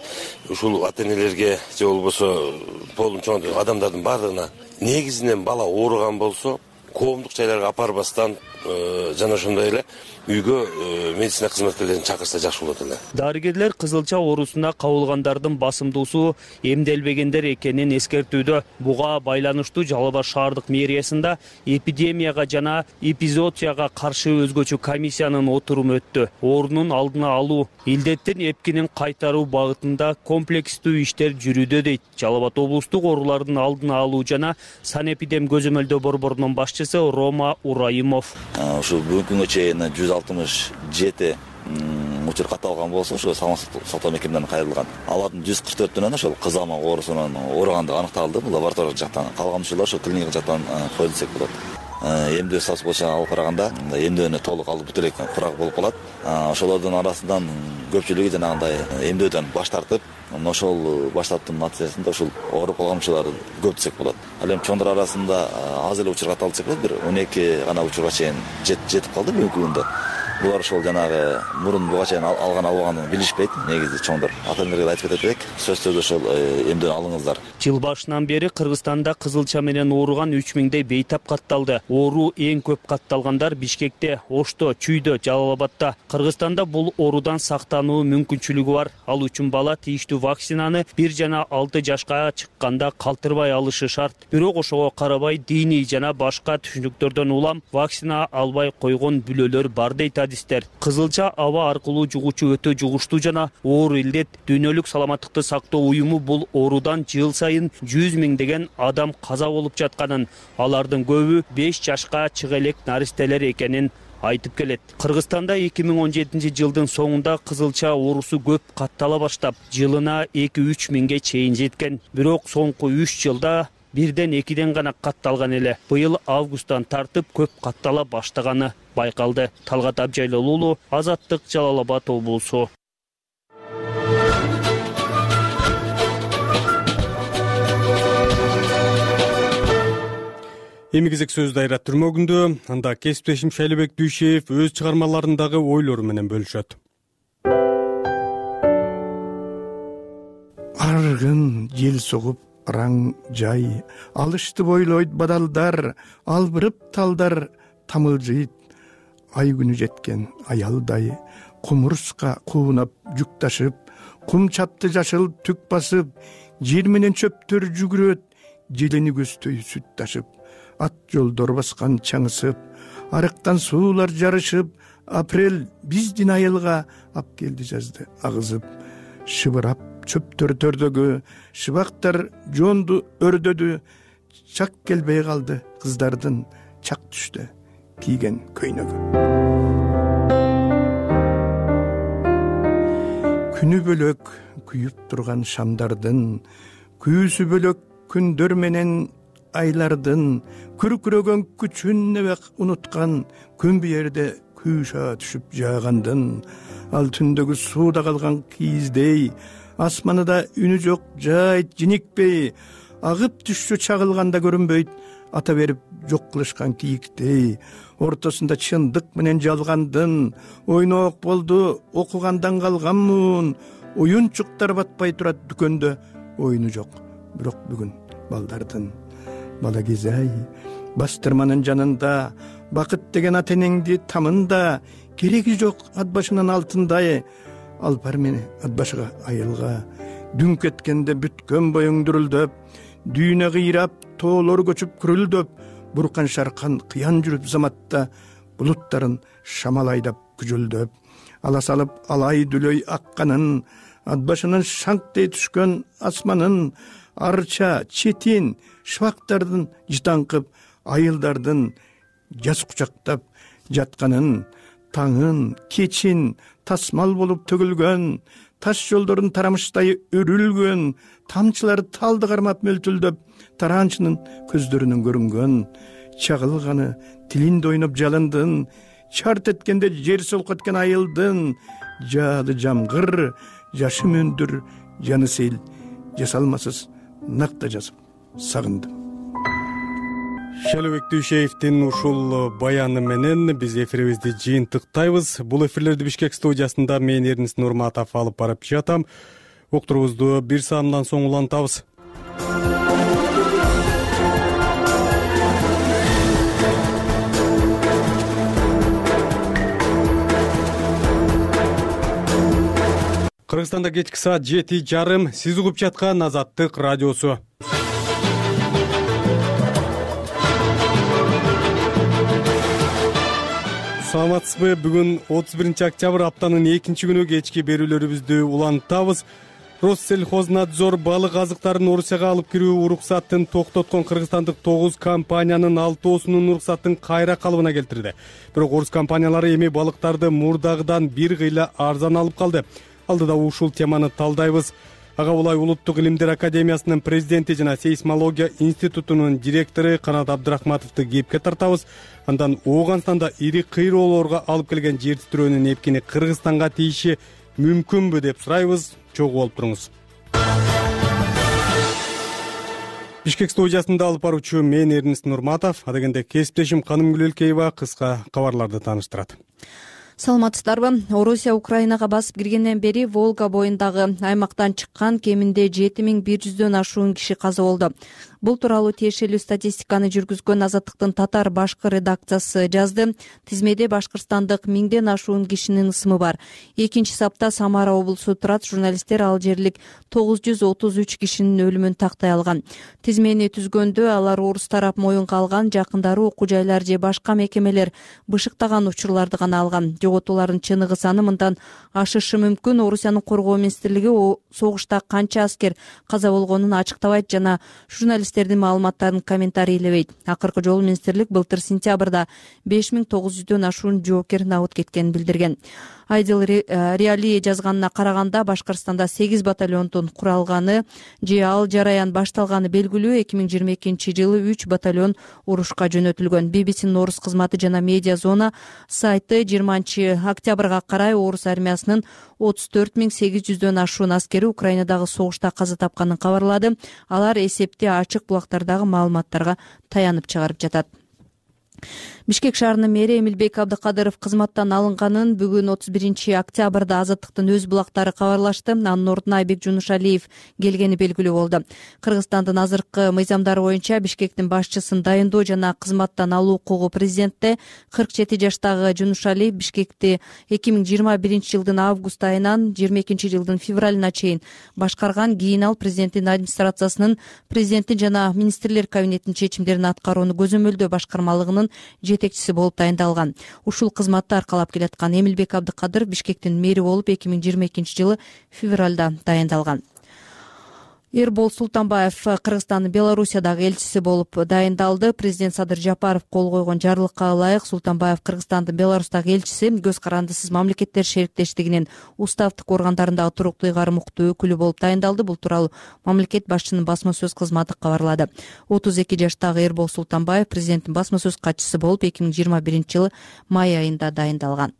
Ушул ата-энелерге же болбосо полун чоң адамдардын бардыгына негизинен бала ооруган болсо, коомдук жайларга апарбастан жана ошондой эле үйгө медицина кызматкерлерин чакырса жакшы болот эле. Дарыгерлер кызылча оорусуна кабылгандардын басымдуусу эмделбегендер экенин эскертүүдө. Буга байланыштуу Жалал Абад шаардык мэриясында эпидемияга жана эпизоотияга каршы өзгөчө комиссиянын отуруму өттү. Оорунун алдын алуу, илдеттин эпкинин кайтаруу багытында комплекстүү иштер жүрүүдө дейт Жалал Абад облустук оорулардын алдын алуу жана санэпидем көзөмөлдөө борборунун башчысы Рома Ураимов. Ушул бүгүнкү күнгө чейин 167 учур катталган болсо, ошо саламаттык сактоо мекемелерине кайрылган. Алардын 144-өн ошол кызамак оорусунун ооругандыгы аныкталды. Бул лабораториялык жактан. Калган учурлар ошо клиникалык жактан коюлду десек болот. Эмдөө сапасы боюнча алып караганда, эмдөөнү толук алып бүт эле курак болуп калат. Ошолордун арасынан көпчүлүгү жанагындай эмдөөдөн баш тартып, ошол баш тартууунун натыйжасында ушул ооруп калган учурлар көп десек болот. Ал эми чоңдор арасында аз эле учур катталды десек болот. Бир 12 гана учурга чейин жетип калды бүгүнкү күндө. Булар ошол жанагы мурун буга чейин алганын билишпейт. Негизи чоңдор ата-энелерге айтып кетет элек, сөзсүз ошол эмдөөнү алыңыздар. Жыл башынан бери Кыргызстанда кызылча менен ооруган 3000дей бейтап катталды. Оору эң көп катталгандар Бишкекте, Ошто, Чүйдө, Жалал Абадта. Кыргызстанда бул оорудан сактануу мүмкүнчүлүгү бар. Ал үчүн бала тийиштүү вакцинаны 1 жана 6 жашка чыкканда калтырбай алышы шарт. Бирок ошого карабай диний жана башка түшүнүктөрдөн улам вакцина албай койгон бүлөлөр бар дейт адистер. Кызылча аба аркылуу жугуучу өтө жугуштуу жана оор илдет. Дүйнөлүк саламаттыкты сактоо уюму бул оорудан жыл сайын 100 миңдеген адам каза болуп жатканын, алардын көбү 5 жашка чыга элек наристелер экенин айтып келет. Кыргызстанда 2017 жылдын соңунда кызылча оорусу көп каттала баштап, жылына 2-3 миңге чейин жеткен. Бирок соңку 3 жылда 1-2 гана катталган эле. Быйыл августтан тартып көп каттала баштаганы байкалды. Талгат Абжайлол уулу, Азаттык, Жалал Абад облусу. Эми кезек сөз дайра түрмөгүндө, анда кесиптешим Шайлебек Дүйшеев өз чыгармаларындагы ойлору менен бөлүшөт. Аргын жел согуп раң жай, алышты бойлойт бадалдар, албырып талдар тамылжыйт. Ай күнү жеткен аялдай, кумурска куунап жүк ташып, кум чапты жашыл түк басып, жер менен чөптөр жүгүрөт, желени көздөй сүт ташып. Ат жолдор баскан чаңысып, арыктан суулар жарышып, апрель биздин айылга ап келди жазды агызып. Шыбырап чөптөр төрдөгү, шыбактар жонду өрдөдү, чак келбей калды кыздардын чак түштө кийген көйнөгү. Күнү бөлөк күйүп турган шамдардын, күйүүсү бөлөк күндөр менен айлардын, күркүрөгөн күчүн небек унуткан, күн биерде күйша түшүп жаагандын, ал түндөгү сууда калган кийиздей, асманында үнү жок жайт жиникпей, агып түшчү чагылганда көрүнбөйт, ата берип жок кылышкан кийиктей, ортосунда чындык менен жалгандын, ойноок болду окугандан калганмын, уюнчуктар батпай турат дүкөндө, ойну жок, бирок бүгүн балдардын. Бала кезай, бастырманын жанында, бакыт деген ата энеңди тамында, кереги жок ат башынын алтындай, алпар мени ат башыга айылга, дүң кеткенде бүткөн боюң дүрүлдөп, дүйнө кыйрап, тоолор көчүп күрүлдөп, буркан шаркан кыян жүрүп заматта, булуттарын шамал айдап күжүлдөп, ала салып алай дүлөй акканын, ат башынын шаңктей түшкөн асманын, арча, четин, шыбактардын жытаңкып, айылдардын жаз кучактап жатканын, таңын, кечин тасмал болуп төгүлгөн, таш жолдорун тарамыштай өрүлгөн, тамчылар талды кармап мөлтүлдөп, тараанчынын көздөрүнөн көрүнгөн, чагылганы тилинде ойноп жалындын, чарт эткенде жер солкоткен айылдын, жаады жамгыр, жашы мөндүр, жаны сел, жасалмасыз накта жазып сагындым. Шелебек Дүйшеевдин ушул баяны менен биз эфирибизди жыйынтыктайбыз. Бул эфирлерди Бишкек студиясында мен Эрнис Нурматов алып барып жатам. Уктурубузду бир саамдан соң улантабыз. Кыргызстанда кечки саат 7:30. Сиз угуп жаткан Азаттык радиосу. Саламатсызбы? Бүгүн 31-октябрь аптанын 2-күнү кечки берүүлөрүбүздү улантабыз. Россельхознадзор балык азыктарын Орусияга алып кирүү уруксатын токтоткон кыргызстандык 9 компаниянын 6оосунун уруксатын кайра калыбына келтирди. Бирок орус компаниялары эми балыктарды мурдагыдан бир кыйла арзан алып калды. Алдыда ушул теманы талдайбыз. Ага булай Улуттук илимдер академиясынын президенти жана сейсмология институтунун директору Канат Абдрахматовду кепке тартабыз. Андан Ооганстанда ири кыйроолорго алып келген жер титирөөнүн эпкини Кыргызстанга тийиши мүмкүнбү деп сурайбыз. Чогуу болуп туруңуз. Бишкек студиясында алып баруучу мен Эрнис Нурматов, адегенде кесиптешим Канымгүл Элкеева кыска кабарларды тааныштырат. Саламатсыздарбы? Орусия Украинага басып киргенден бери Волга боюндагы аймактан чыккан кеминде 7100дөн ашуун киши каза болду. Бул тууралуу тиешелүү статистиканы жүргүзгөн Азаттыктын татар башкы редакциясы жазды. Тизмеде башкырстандык 1000ден ашуун кишинин ысымы бар. Экинчи сапта Самара облусу турат. Журналисттер ал жерлик 933 кишинин өлүмүн тактай алган. Тизмени түзгөндө алар орус тарап моюнга алган, жакындары окуу жайлар же башка мекемелер бышыктаган учурларды гана алган. Жоготуулардын чыныгы саны мындан ашышы мүмкүн. Орусиянын коргоо министрлиги согушта канча аскер каза болгонун ачыктабайт жана журналисттердин маалыматтарын комментарийлебейт. Акыркы жолу министрлик былтыр сентябрда 5900дөн ашуун жоокер набыт кеткенин билдирген. Айдыл Реали жазганына караганда Башкырстанда 8 батальондун куралганы же ал жараян башталганы белгилүү. 2022-жылы 3 батальон урушка жөнөтүлгөн. BBC-нин орус кызматы жана медиа зона сайты 20-октябрга карай орус армиясынын 34800дөн ашуун аскери Украинадагы согушта каза тапканын кабарлады. Алар эсепти ачык булактардагы маалыматтарга таянып чыгарып жатат. Бишкек шаарынын мэри Эмилбек Абдыкадыров кызматтан алынганын бүгүн 31-октябрда Азаттыктын өз булактары кабарлашты. Анын ордуна Айбек Жунушалиев келгени белгилүү болду. Кыргызстандын азыркы мыйзамдары боюнча Бишкектин башчысын дайындоо жана кызматтан алуу укугу президентте. 47 жаштагы Жунушалиев Бишкекти 2021-жылдын август айынан 22-жылдын февралына чейин башкарган. Кийин ал президенттин администрациясынын президенттин жана министрлер кабинетинин чечимдерин аткарууну көзөмөлдөө башкармалыгынын жетекчиси болуп дайындалган. Ушул кызматты аркалап келаткан Эмилбек Абдыкадыров Бишкектин мэри болуп 2022-жылы февралда дайындалган. Эрбол Султанбаев Кыргызстандын Белоруссиядагы элчиси болуп дайындалды. Президент Садыр Жапаров кол койгон жарлыкка ылайык Султанбаев Кыргызстандын Беларустагы элчиси көз карандысыз мамлекеттер шериктештигинин уставдык органдарындагы туруктуу ыйгарым уктуу өкүлү болуп дайындалды. Бул тууралуу мамлекет башчынын басма сөз кызматы кабарлады. 32 жаштагы Эрбол Султанбаев президенттин басма сөз катчысы болуп 2021-жылы май айында дайындалган.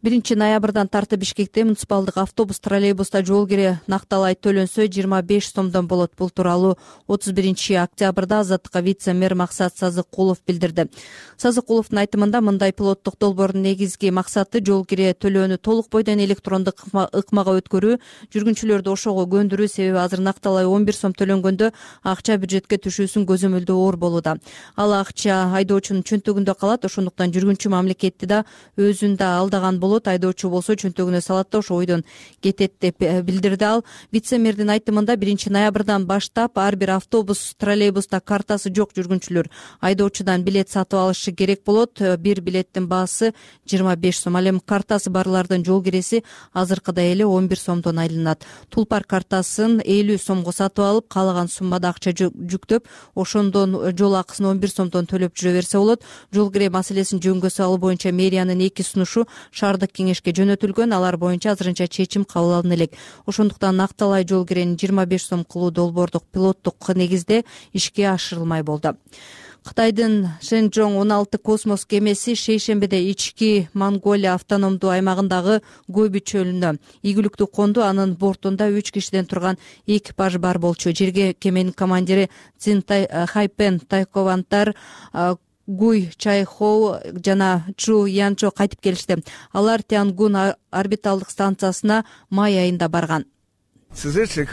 1-ноябрдан тартып Бишкекте муниципалдык автобус троллейбуста жол кире накталай төлөнсө 25 сомдон болот. Бул тууралуу 31-октябрда Азаттыкка вице-мэр Максат Сазыкулов билдирди. Сазыкуловдун айтымында мындай пилоттук долбоордун негизги максаты жол кире төлөөнү толук бойдон электрондук ыкмага өткөрүү, жүргүнчүлөрдү ошого көндүрүү. Себеби азыр накталай 11 сом төлөнгөндө акча бюджетке түшүүсүн көзөмөлдөө оор болууда. Ал акча айдоочунун чөнтөгүндө калат. Ошондуктан жүргүнчү мамлекетти да өзүн да алдаган болот. Айдоочу болсо чөнтөгүнө салат да ошо ойдон кетет деп билдирди ал. Вице-мэрдин айтымында 1-ноябрдан баштап ар бир автобус, троллейбуста картасы жок жүргүнчүлөр айдоочудан билет сатып алышы керек болот. Бир билеттин баасы 25 сом. Ал эми картасы барлардын жол киреси азыркыдай эле 11 сомдон айланат. Тулпар картасын 50 сомго сатып алып, каалаган суммада акча жүктөп, ошондон жол акысын 11 сомдон төлөп жүрө берсе болот. Жол кире маселесин жөнгө салуу боюнча мэриянын 2 сунушу шаардык кеңешке жөнөтүлгөн. Алар боюнча азырынча чечим кабыл алына элек. Ошондуктан накталай жол кирени 25 сом кылуу долбоордук пилоттук негизде ишке ашырылмай болду. Кытайдын Шэнчжоң 16 космос кемеси шейшембиде ички Монголия автономдуу аймагындагы Гоби чөлүнө ийгиликтүү конду. Анын бортунда 3 кишиден турган экипаж бар болчу. Жерге кеменин командири Цин Хайпен Тайковантар, Гуй Чайхоу жана Чу Янчо кайтып келишти. Алар Тянгун орбиталдык станциясына май айында барган. Миссиямды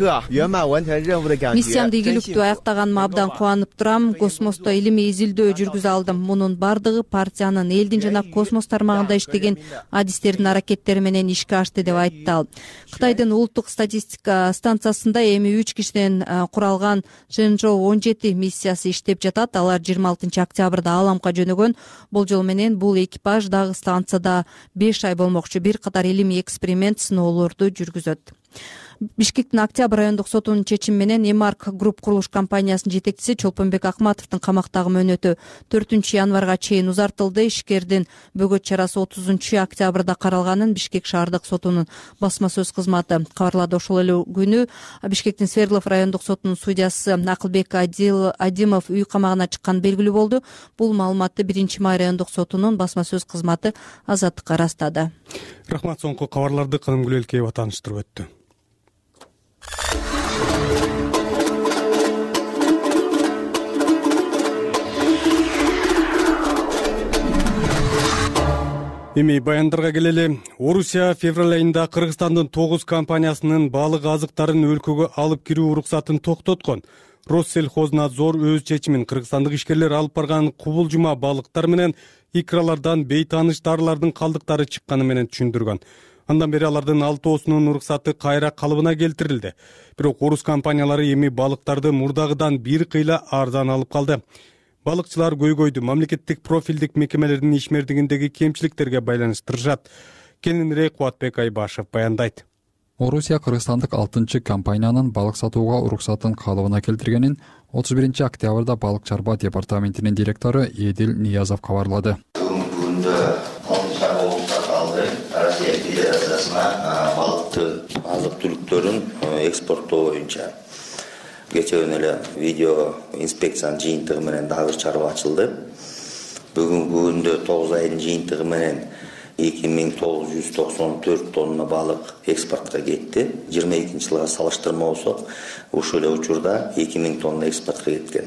ийгиликтүү аяктаганыма абдан кубанып турам. Космосто илимий изилдөө жүргүзө алдым. Мунун бардыгы партиянын, элдин жана космос тармагында иштеген адистердин аракеттери менен ишке ашты деп айтты ал. Кытайдын улуттук статистика станциясында эми 3 кишиден куралган Шэнчжоу 17 миссиясы иштеп жатат. Алар 26 октябрда Аламга жөнөгөн. Болжол менен бул экипаж дагы станцияда 5 ай болмокчу. Бир катар илимий эксперимент, сыноолорду жүргүзөт. Бишкектин Октябрь райондук сотунун чечими менен Эмарк Групп курулуш компаниясынын жетекчиси Чолпонбек Акматовдун камактагы мөөнөтү 4 январга чейин узартылды. Ишкердин бөгөт чарасы 30 октябрда каралганын Бишкек шаардык сотунун басма сөз кызматы кабарлады. Ошол эле күнү Бишкектин Свердлов райондук сотунун судьясы Акылбек Адимов үй камагына чыкканы белгилүү болду. Бул маалыматты 1-май райондук сотунун басма сөз кызматы Азаттыкка ырастады. Рахмат. Соңку кабарларды Каным Гүлөлкеева тааныштырып өттү. Эми баяндарга келели. Орусия февраль айында Кыргызстандын 9 компаниясынын балык азыктарын өлкөгө алып кирүү уруксатын токтоткон. Россельхознадзор өз чечимин кыргызстандык ишкерлер алып барган кубулжума балыктар менен икралардан бейтааныш дарылардын калдыктары чыкканы менен түшүндүргөн. Андан бери алардын 6осунун уруксаты кайра калыбына келтирилди. Бирок орус компаниялары эми балыктарды мурдагыдан бир кыйла арзан алып калды. Балыкчылар көйгөйдү мамлекеттик профилдик мекемелердин ишмердигиндеги кемчиликтерге байланыштырышат. Кененирээк Кубатбек Айбашев баяндайт. Орусия кыргызстандык 6 компаниянын балык сатууга уруксатын калыбына келтиргенин 31 октябрда балык чарба департаментинин директору Эдил Ниязов кабарлады. Россия Федерациясына балыктын азык-түлүктөрүн экспорттоо боюнча кечээ күнү эле видео инспекциянын жыйынтыгы менен дагы чарба ачылды. Бүгүнкү күндө 9 айдын жыйынтыгы менен 2994 тонна балык экспортко кетти. 22-жылга салыштырма болсок, ушул эле учурда 2000 тонна экспортко кеткен.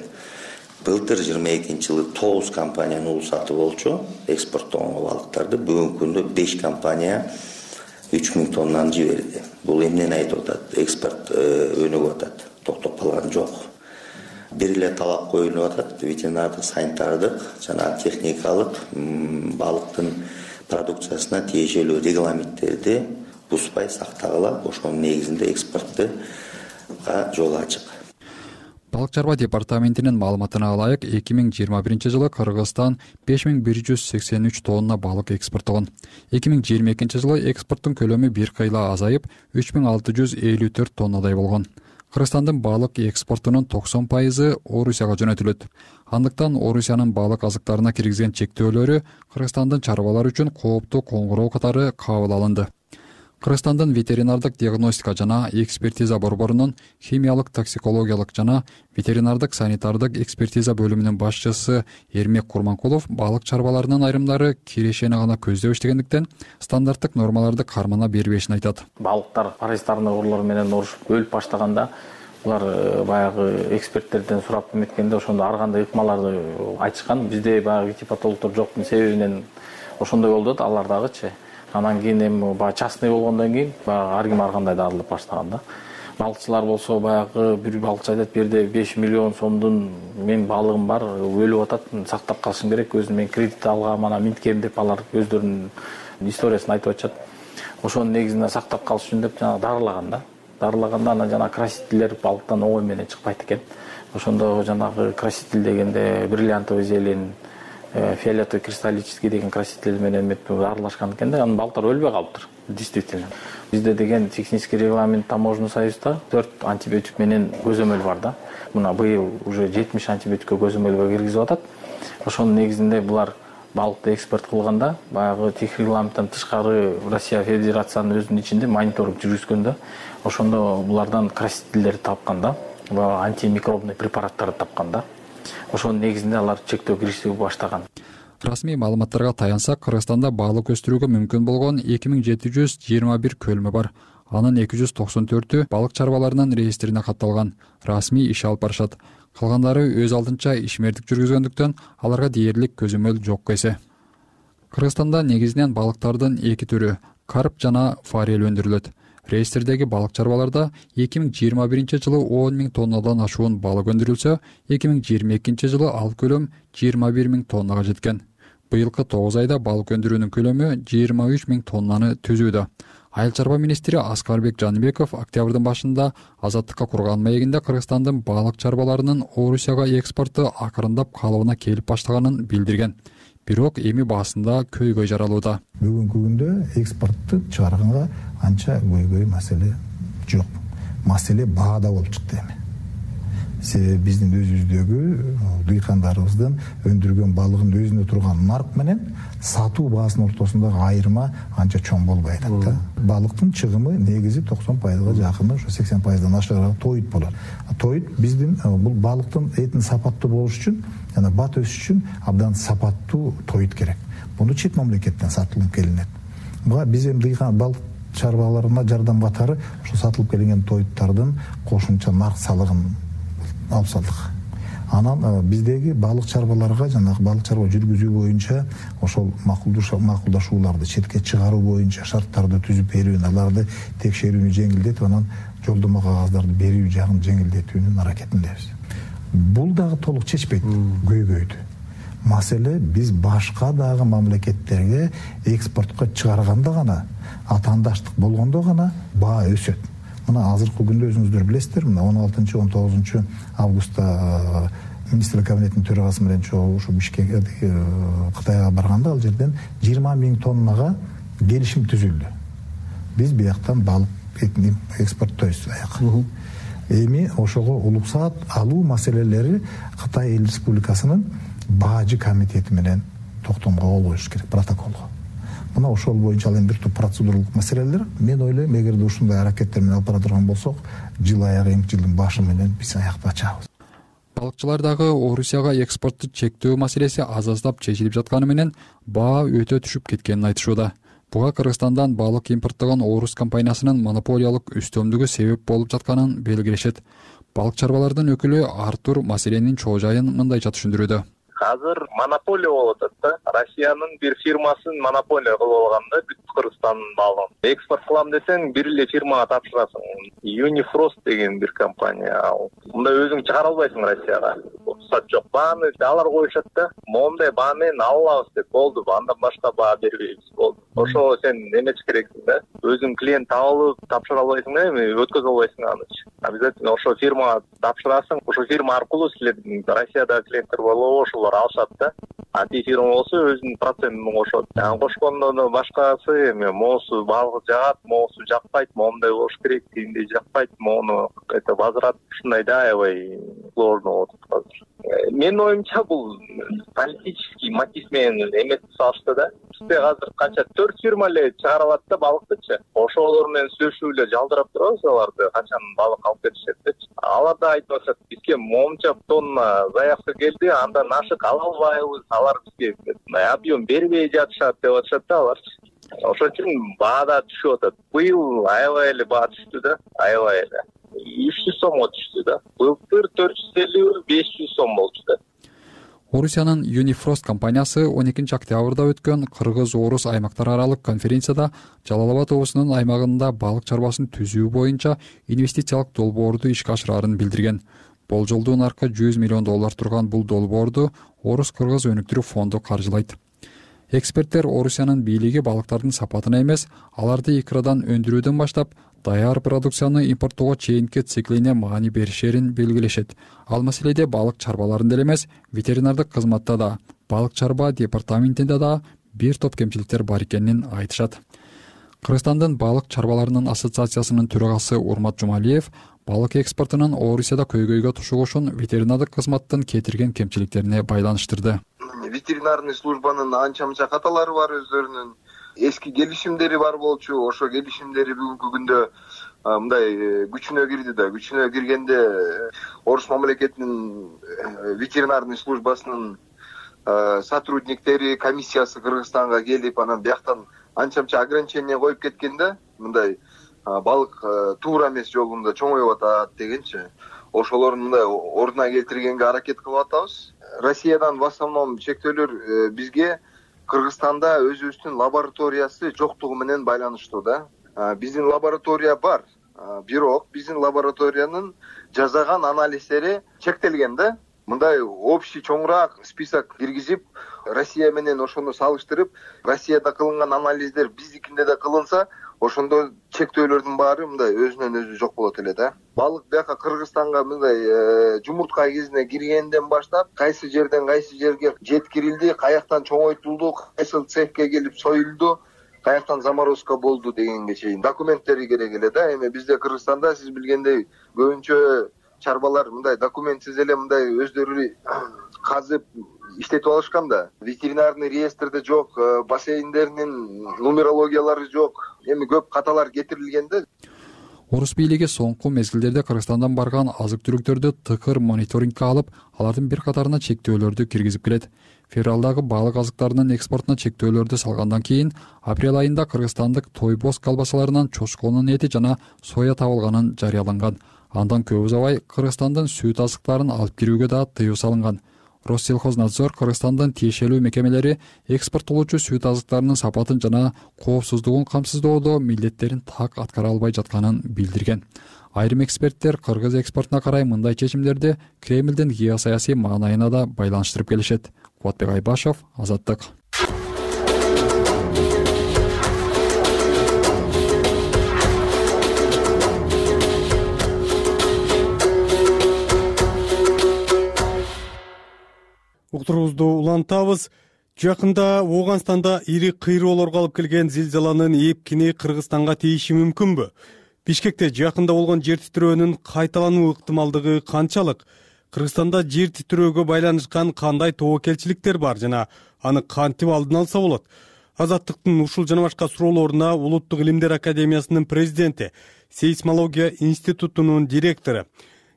Былтыр 22-жылы 9 компаниянын улуу сатып болчу экспорттогон балыктарды. Бүгүнкү күндө 5 компания 3000 тоннаны жиберди. Бул эмнени айтып атат? Экспорт өнүгүп атат, токтоп калган жок. Бир эле талап коюлуп атат: ветеринардык, санитардык жана техникалык балыктын продукциясына тиешелүү регламенттерди бузбай сактагыла. Ошонун негизинде экспортко жол ачык. Балык чарба департаментинин маалыматына ылайык, 2021 жылы Кыргызстан 5183 тонна балык экспорттогон. 2022 жылы экспорттун көлөмү бир кыйла азайып, 3654 тоннадай болгон. Кыргызстандын балык экспортунун 90% Орусияга жөнөтүлөт. Андыктан Орусиянын балык азыктарына киргизген чектөөлөрү Кыргызстандын чарбалар үчүн кооптуу коңгуроо катары кабыл алынды. Кыргызстандын ветеринардык диагностика жана экспертиза борборунун химиялык, токсикологиялык жана ветеринардык санитардык экспертиза бөлүмүнүн башчысы Эрмек Курманкулов балык чарбаларынын айрымдары кирешени гана көздөп иштегендиктен стандарттык нормаларды кармана бербешин айтат. Балыктар паразитарный оорулар менен оорушуп өлүп баштаганда булар баягы эксперттерден сурап эметкенде ошондо ар кандай ыкмаларды айтышкан. Бизде баягы ветипатологдор жоктун себебинен ошондой болду да, алар дагычы. Анан кийин эми баягы частный болгондон кийин баягы ар ким ар кандай дарылап баштаган да. Балыкчылар болсо баягы бир балыкчы айтат: "Берде 5 миллион сомдун мен балыгым бар, өлүп атат, сактап калышым керек, өзүм мен кредит алгам, анан минткем" деп алар өздөрүнүн историясын айтып атышат. Ошонун негизинде сактап калыш үчүн деп жана дарылаган да. Дарылаганда анан жана красителер балыктан оңой менен чыкпайт экен. Ошондо жанагы краситель дегенде бриллиантовый зелень, фиолетовый кристаллический деген краситель менен аралашкан экен да, анын балыктар өлбөй калыптыр. Действительно. Бизде деген технический регламент таможенный союзда 4 антибиотик менен көзөмөл бар да. Мына быйыл уже 70 антибиотикке көзөмөлгө киргизип атат. Ошонун негизинде булар балыкты экспорт кылганда баягы тех регламенттен тышкары Россия Федерациянын өзүнүн ичинде мониторинг жүргүзгөндө ошондо булардан красительдерди тапкан да, антимикробный препараттарды тапкан да. ошонун негизинде алар чектөө киришти баштаган. Расмий маалыматтарга таянсак, Кыргызстанда балык өстүрүүгө мүмкүн болгон 2721 көлмө бар. Анын 294-ü балык чарбаларынын реестрине катталган, расмий иш алып барышат. Калгандары өз алдынча ишмердик жүргүзгөндүктөн аларга дээрлик көзөмөл жок эсе. Кыргызстанда негизинен балыктардын эки түрү — карп жана форель өндүрүлөт. Реестрдеги балык чарбаларда 2021 жылы 10 000 тоннадан ашуун балык өндүрүлсө, 2022 жылы ал көлөм 21 000 тоннага жеткен. Быйылкы 9 айда балык өндүрүүнүн көлөмү 23 000 тоннаны түзүүдө. Айыл чарба министри Аскарбек Жаныбеков октябрдын башында азаттыкка курган маегинде Кыргызстандын балык чарбаларынын Орусияга экспорту акырындап калыбына келип баштаганын билдирген. Бирок эми баасында көйгөй жаралууда. Бүгүнкү күндө экспортту чыгарганга анча көйгөй маселе жок. Маселе баада болуп чыкты эми. Себеби биздин өзүбүздөгү дыйкандарыбыздын өндүргөн балыгын өзүнө турган нарк менен сатуу баасынын ортосундагы айырма анча чоң болбой атат да. Балыктын чыгымы негизи 90%га жакыны, ошо 80%дан ашыгыраак тоют болот. Тоют биздин бул балыктын этин сапаттуу болуш үчүн жана бат өсүш үчүн абдан сапаттуу тоют керек. Муну чет мамлекеттен сатылып келинет. Буга биз эми дыйкан балык чарбаларына жардам катары ошо сатылып келинген тоюттардын кошумча нарк салыгын алып салдык. Анан биздеги балык чарбаларга жана балык чарба жүргүзүү боюнча ошол макулдашууларды четке чыгаруу боюнча шарттарды түзүп берүү, аларды текшерүүнү жеңилдетип, анан жолдомо кагаздарды берүү жагын жеңилдетүүнүн аракетиндебиз. Бул дагы толук чечпейт көйгөйдү. Маселе биз башка дагы мамлекеттерге экспортко чыгарганда гана, атаандаштык болгондо гана баа өсөт. Мына азыркы күндө өзүңүздөр билесиздер, мына 16-19 августта министрлик кабинетинин төрагасы менен чогуу ушу Бишкекке Кытайга барганда ал жерден 20 000 тоннага келишим түзүлдү. Биз бияктан балык этин экспорттойбуз аяка. Эми ошого уруксаат алуу маселелери Кытай Эл Республикасынын баажы комитети менен токтомго кол коюш керек, протоколго. Мына ошол боюнча ал эми бир топ процедуралык маселелер. Мен ойлойм, эгерде ушундай аракеттер менен алып бара турган болсок, жыл аягы эмки жылдын башы менен биз аякты ачабыз. Балыкчылар дагы Орусияга экспортту чектөө маселеси аз-аздап чечилип жатканы менен баа өтө түшүп кеткенин айтышууда. Буга Кыргызстандан балык импорттогон Орус компаниясынын монополиялык үстөмдүгү себеп болуп жатканын белгилешет. Балык чарбалардын өкүлү Артур маселенин чоо жайын мындайча түшүндүрүүдө. Азыр монополия болуп атат да. Россиянын бир фирмасын монополия кылып алганда бүт Кыргызстандын балын. Экспорт кылам десең, бир эле фирмага тапшырасың. Unifrost деген бир компания. Мында өзүң чыгара албайсың Россияга. Рұқсат жок. Бааны алар коюшат да. Момундай баа менен алабыз деп болду. Андан башка баа бербейбиз болду. Ошо сен эмеч керексиң да. Өзүң клиент табылып тапшыра албайсың да, эми өткөзө албайсың аны. Обязательно ошо фирмага тапшырасың. Ошо фирма аркылуу силердин Россиядагы клиенттер болобу, ошолор алышат да. Анти фирма болсо өзүнүн процентин кошот. Кошкондон башкасы эми моусу балык жагат, моусу жакпайт, момундай болуш керек, тигиндей жакпайт, моуну это возврат ушундай да аябай сложно болуп атат азыр. Менин оюмча бул политический мотив менен эмес салышты да. Бизде азыр канча 4 фирма эле чыгара алат да балыктычы. Ошолор менен сүйлөшүп эле жалдырап турабыз аларды, канчанын балык алып кетишет депчи. Алар да айтып атышат, бизге момунча тонна заявка келди, андан ашык ала албайбыз, алар бизге объем бербей жатышат деп атышат да аларчы. Ошон үчүн баа да түшүп атат. Быйыл аябай эле баа түштү да, аябай эле. 300 сомго түштү да. Былтыр 450-500 сом болчу да. Орусиянын Unifrost компаниясы 12 октябрда өткөн Кыргыз-Орус аймактар аралык конференцияда Жалал Абад облусунун аймагында балык чарбасын түзүү боюнча инвестициялык долбоорду ишке ашырарын билдирген. Болжолдуу наркы $100 миллион турган бул долбоорду Орус-Кыргыз өнүктүрүү фонду каржылайт. Эксперттер Орусиянын бийлиги балыктардын сапатына эмес, аларды икрадан өндүрүүдөн баштап даяр продукцияны импорттоого чейинки циклине маани беришерин белгилешет. Ал маселеде балык чарбаларында эле эмес, ветеринардык кызматта да, балык чарба департаментинде да бир топ кемчиликтер бар экенин айтышат. Кыргызстандын балык чарбаларынын ассоциациясынын төрагасы Урмат Жумалиев балык экспортунун Орусияда көйгөйгө тушугушун ветеринардык кызматтын кетирген кемчиликтерине байланыштырды. Ветеринарный службанын анча-мынча каталары бар өздөрүнүн. эски келишимдери бар болчу. Ошо келишимдери бүгүнкү күндө мындай күчүнө кирди да. Күчүнө киргенде Орус мамлекетинин ветеринарный службасынын сотрудниктери, комиссиясы Кыргызстанга келип, анан бияктан анча-мынча ограничение коюп кеткенде, мындай балык туура эмес жолунда чоңоюп атат дегенчи. Ошолорду мындай ордуна келтиргенге аракет кылып атабыз. Россиядан в основном чектөөлөр бизге Кыргызстанда өзүбүздүн лабораториясы жоктугу менен байланыштуу да. Биздин лаборатория бар, бирок биздин лабораториянын жасаган анализдери чектелген да. Мындай общий чоңураак список киргизип, Россия менен ошону салыштырып, Россияда кылынган анализдер биздикинде да кылынса, ошондо чектөөлөрдүн баары мындай өзүнөн өзү жок болот эле да. Балык бияка Кыргызстанга мындай жумуртка кезине киргенден баштап, кайсы жерден кайсы жерге жеткирилди, каяктан чоңойтулду, кайсы цехке келип союлду, каяктан заморозка болду дегенге чейин документтери керек эле да. Эми бизде Кыргызстанда сиз билгендей көбүнчө чарбалар мындай документсиз эле мындай өздөрү казып иштетип алышкан да. Ветеринарный реестрде жок, бассейндеринин нумерологиялары жок. Эми көп каталар кетирилгенде. Орус бийлиги соңку мезгилдерде Кыргызстандан барган азык-түлүктөрдү тыкыр мониторингге алып, алардын бир катарына чектөөлөрдү киргизип келет. Февралдагы балык азыктарынын экспортуна чектөөлөрдү салгандан кийин апрель айында кыргызстандык тойбоз колбасаларынан чочконун эти жана соя табылганын жарыяланган. Андан көп узабай Кыргызстандын сүт азыктарын алып кирүүгө да тыюу салынган. Россельхознадзор Кыргызстандын тиешелүү мекемелери экспорттолуучу сүт азыктарынын сапатын жана коопсуздугун камсыздоодо милдеттерин так аткара албай жатканын билдирген. Айрым эксперттер кыргыз экспортуна карай мындай чечимдерди Кремлдин геосаясий маанайына да байланыштырып келишет. Кубатбек Айбашев, Азаттык. Уктуруубузду улантабыз. Жакында Ооганстанда ири кыйроолорго алып келген зилзаланын эпкини Кыргызстанга тийиши мүмкүнбү? Бишкекте жакында болгон жер титирөөнүн кайталануу ыктымалдыгы канчалык? Кыргызстанда жер титирөөгө байланышкан кандай тобокелчиликтер бар жана аны кантип алдын алса болот? Азаттыктын ушул жана башка суроолоруна Улуттук илимдер академиясынын президенти, Сейсмология институтунун директору,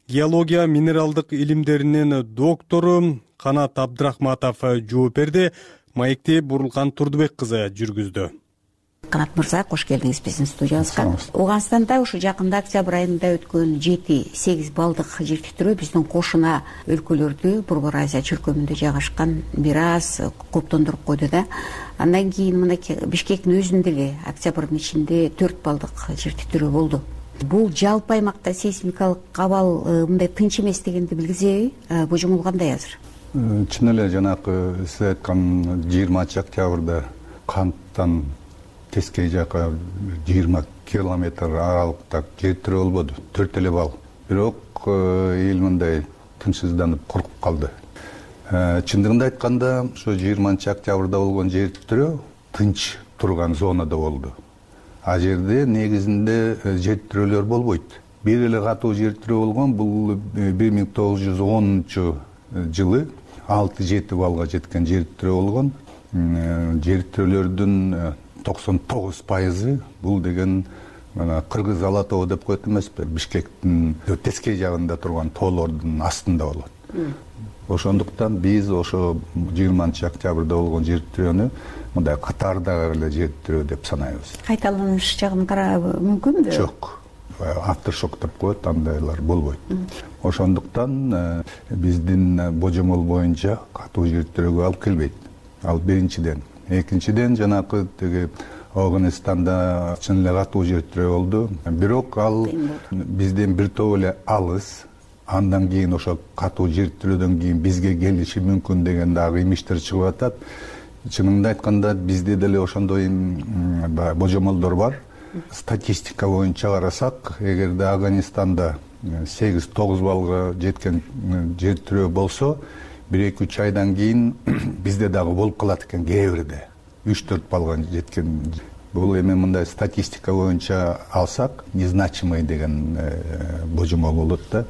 геология минералдык илимдеринин доктору Канат Абдрахматов жооп берди. Маекти Бурулкан Турдубек кызы жүргүздү. Канат мырза, кош келдиңиз биздин студиябызга. Ооганстанда ушу жакында октябрь айында өткөн 7-8 балдык жер титирөө биздин кошуна өлкөлөрдү, Борбор Азия чөлкөмүндө жайгашкан бир аз кооптондуруп койду да. Андан кийин мынакей Бишкектин өзүндө эле октябрдын ичинде 4 балдык жер титирөө болду. Бул жалпы аймакта сейсмикалык абал мындай тынч эмес дегенди билгизеби? Божомол кандай азыр? Чын эле жанакы сиз айткан 20 октябрда Канттан тескей жака 20 километр аралыкта жер титирөө болбоду, 4 эле бал. Бирок эл мындай тынчсызданып коркуп калды. Чындыгында айтканда, ошо 20 октябрда болгон жер титирөө тынч турган зонада болду. А жерде негизинде жер титирөөлөр болбойт. Бир эле катуу жер титирөө болгон, бул 1910 жылы 6-7 балга жеткен жер титирөө болгон. Жер титирөөлөрдүн 99% бул деген Кыргыз Ала тоо деп коет эмеспи? Бишкектин тескей жагында турган тоолордун астында болот. Ошондуктан биз ошо 20 октябрда болгон жер титирөөнү мындай катардагы эле жер титирөө деп санайбыз. Кайталаныш жагын карап мүмкүнбү? Жок. Автошок деп коет, андайлар болбойт. Ошондуктан биздин божомол боюнча катуу жер титирөөгө алып келбейт. Ал биринчиден. Экинчиден жанакы тиги Ооганстанда чын эле катуу жер титирөө болду. Бирок ал бизден бир топ эле алыс. Андан кийин ошо катуу жер титирөөдөн кийин бизге келиши мүмкүн деген дагы имиштер чыгып атат. Чынында айтканда бизде деле ошондой божомолдор бар. Статистика боюнча карасак, эгерде Афганистанда 8-9 балга жеткен жер титирөө болсо, 1-2 айдан кийин бизде дагы болуп калат экен кээ бирде. 3-4 балга жеткен бул эми мындай статистика боюнча алсак незначимый деген божомол болот да.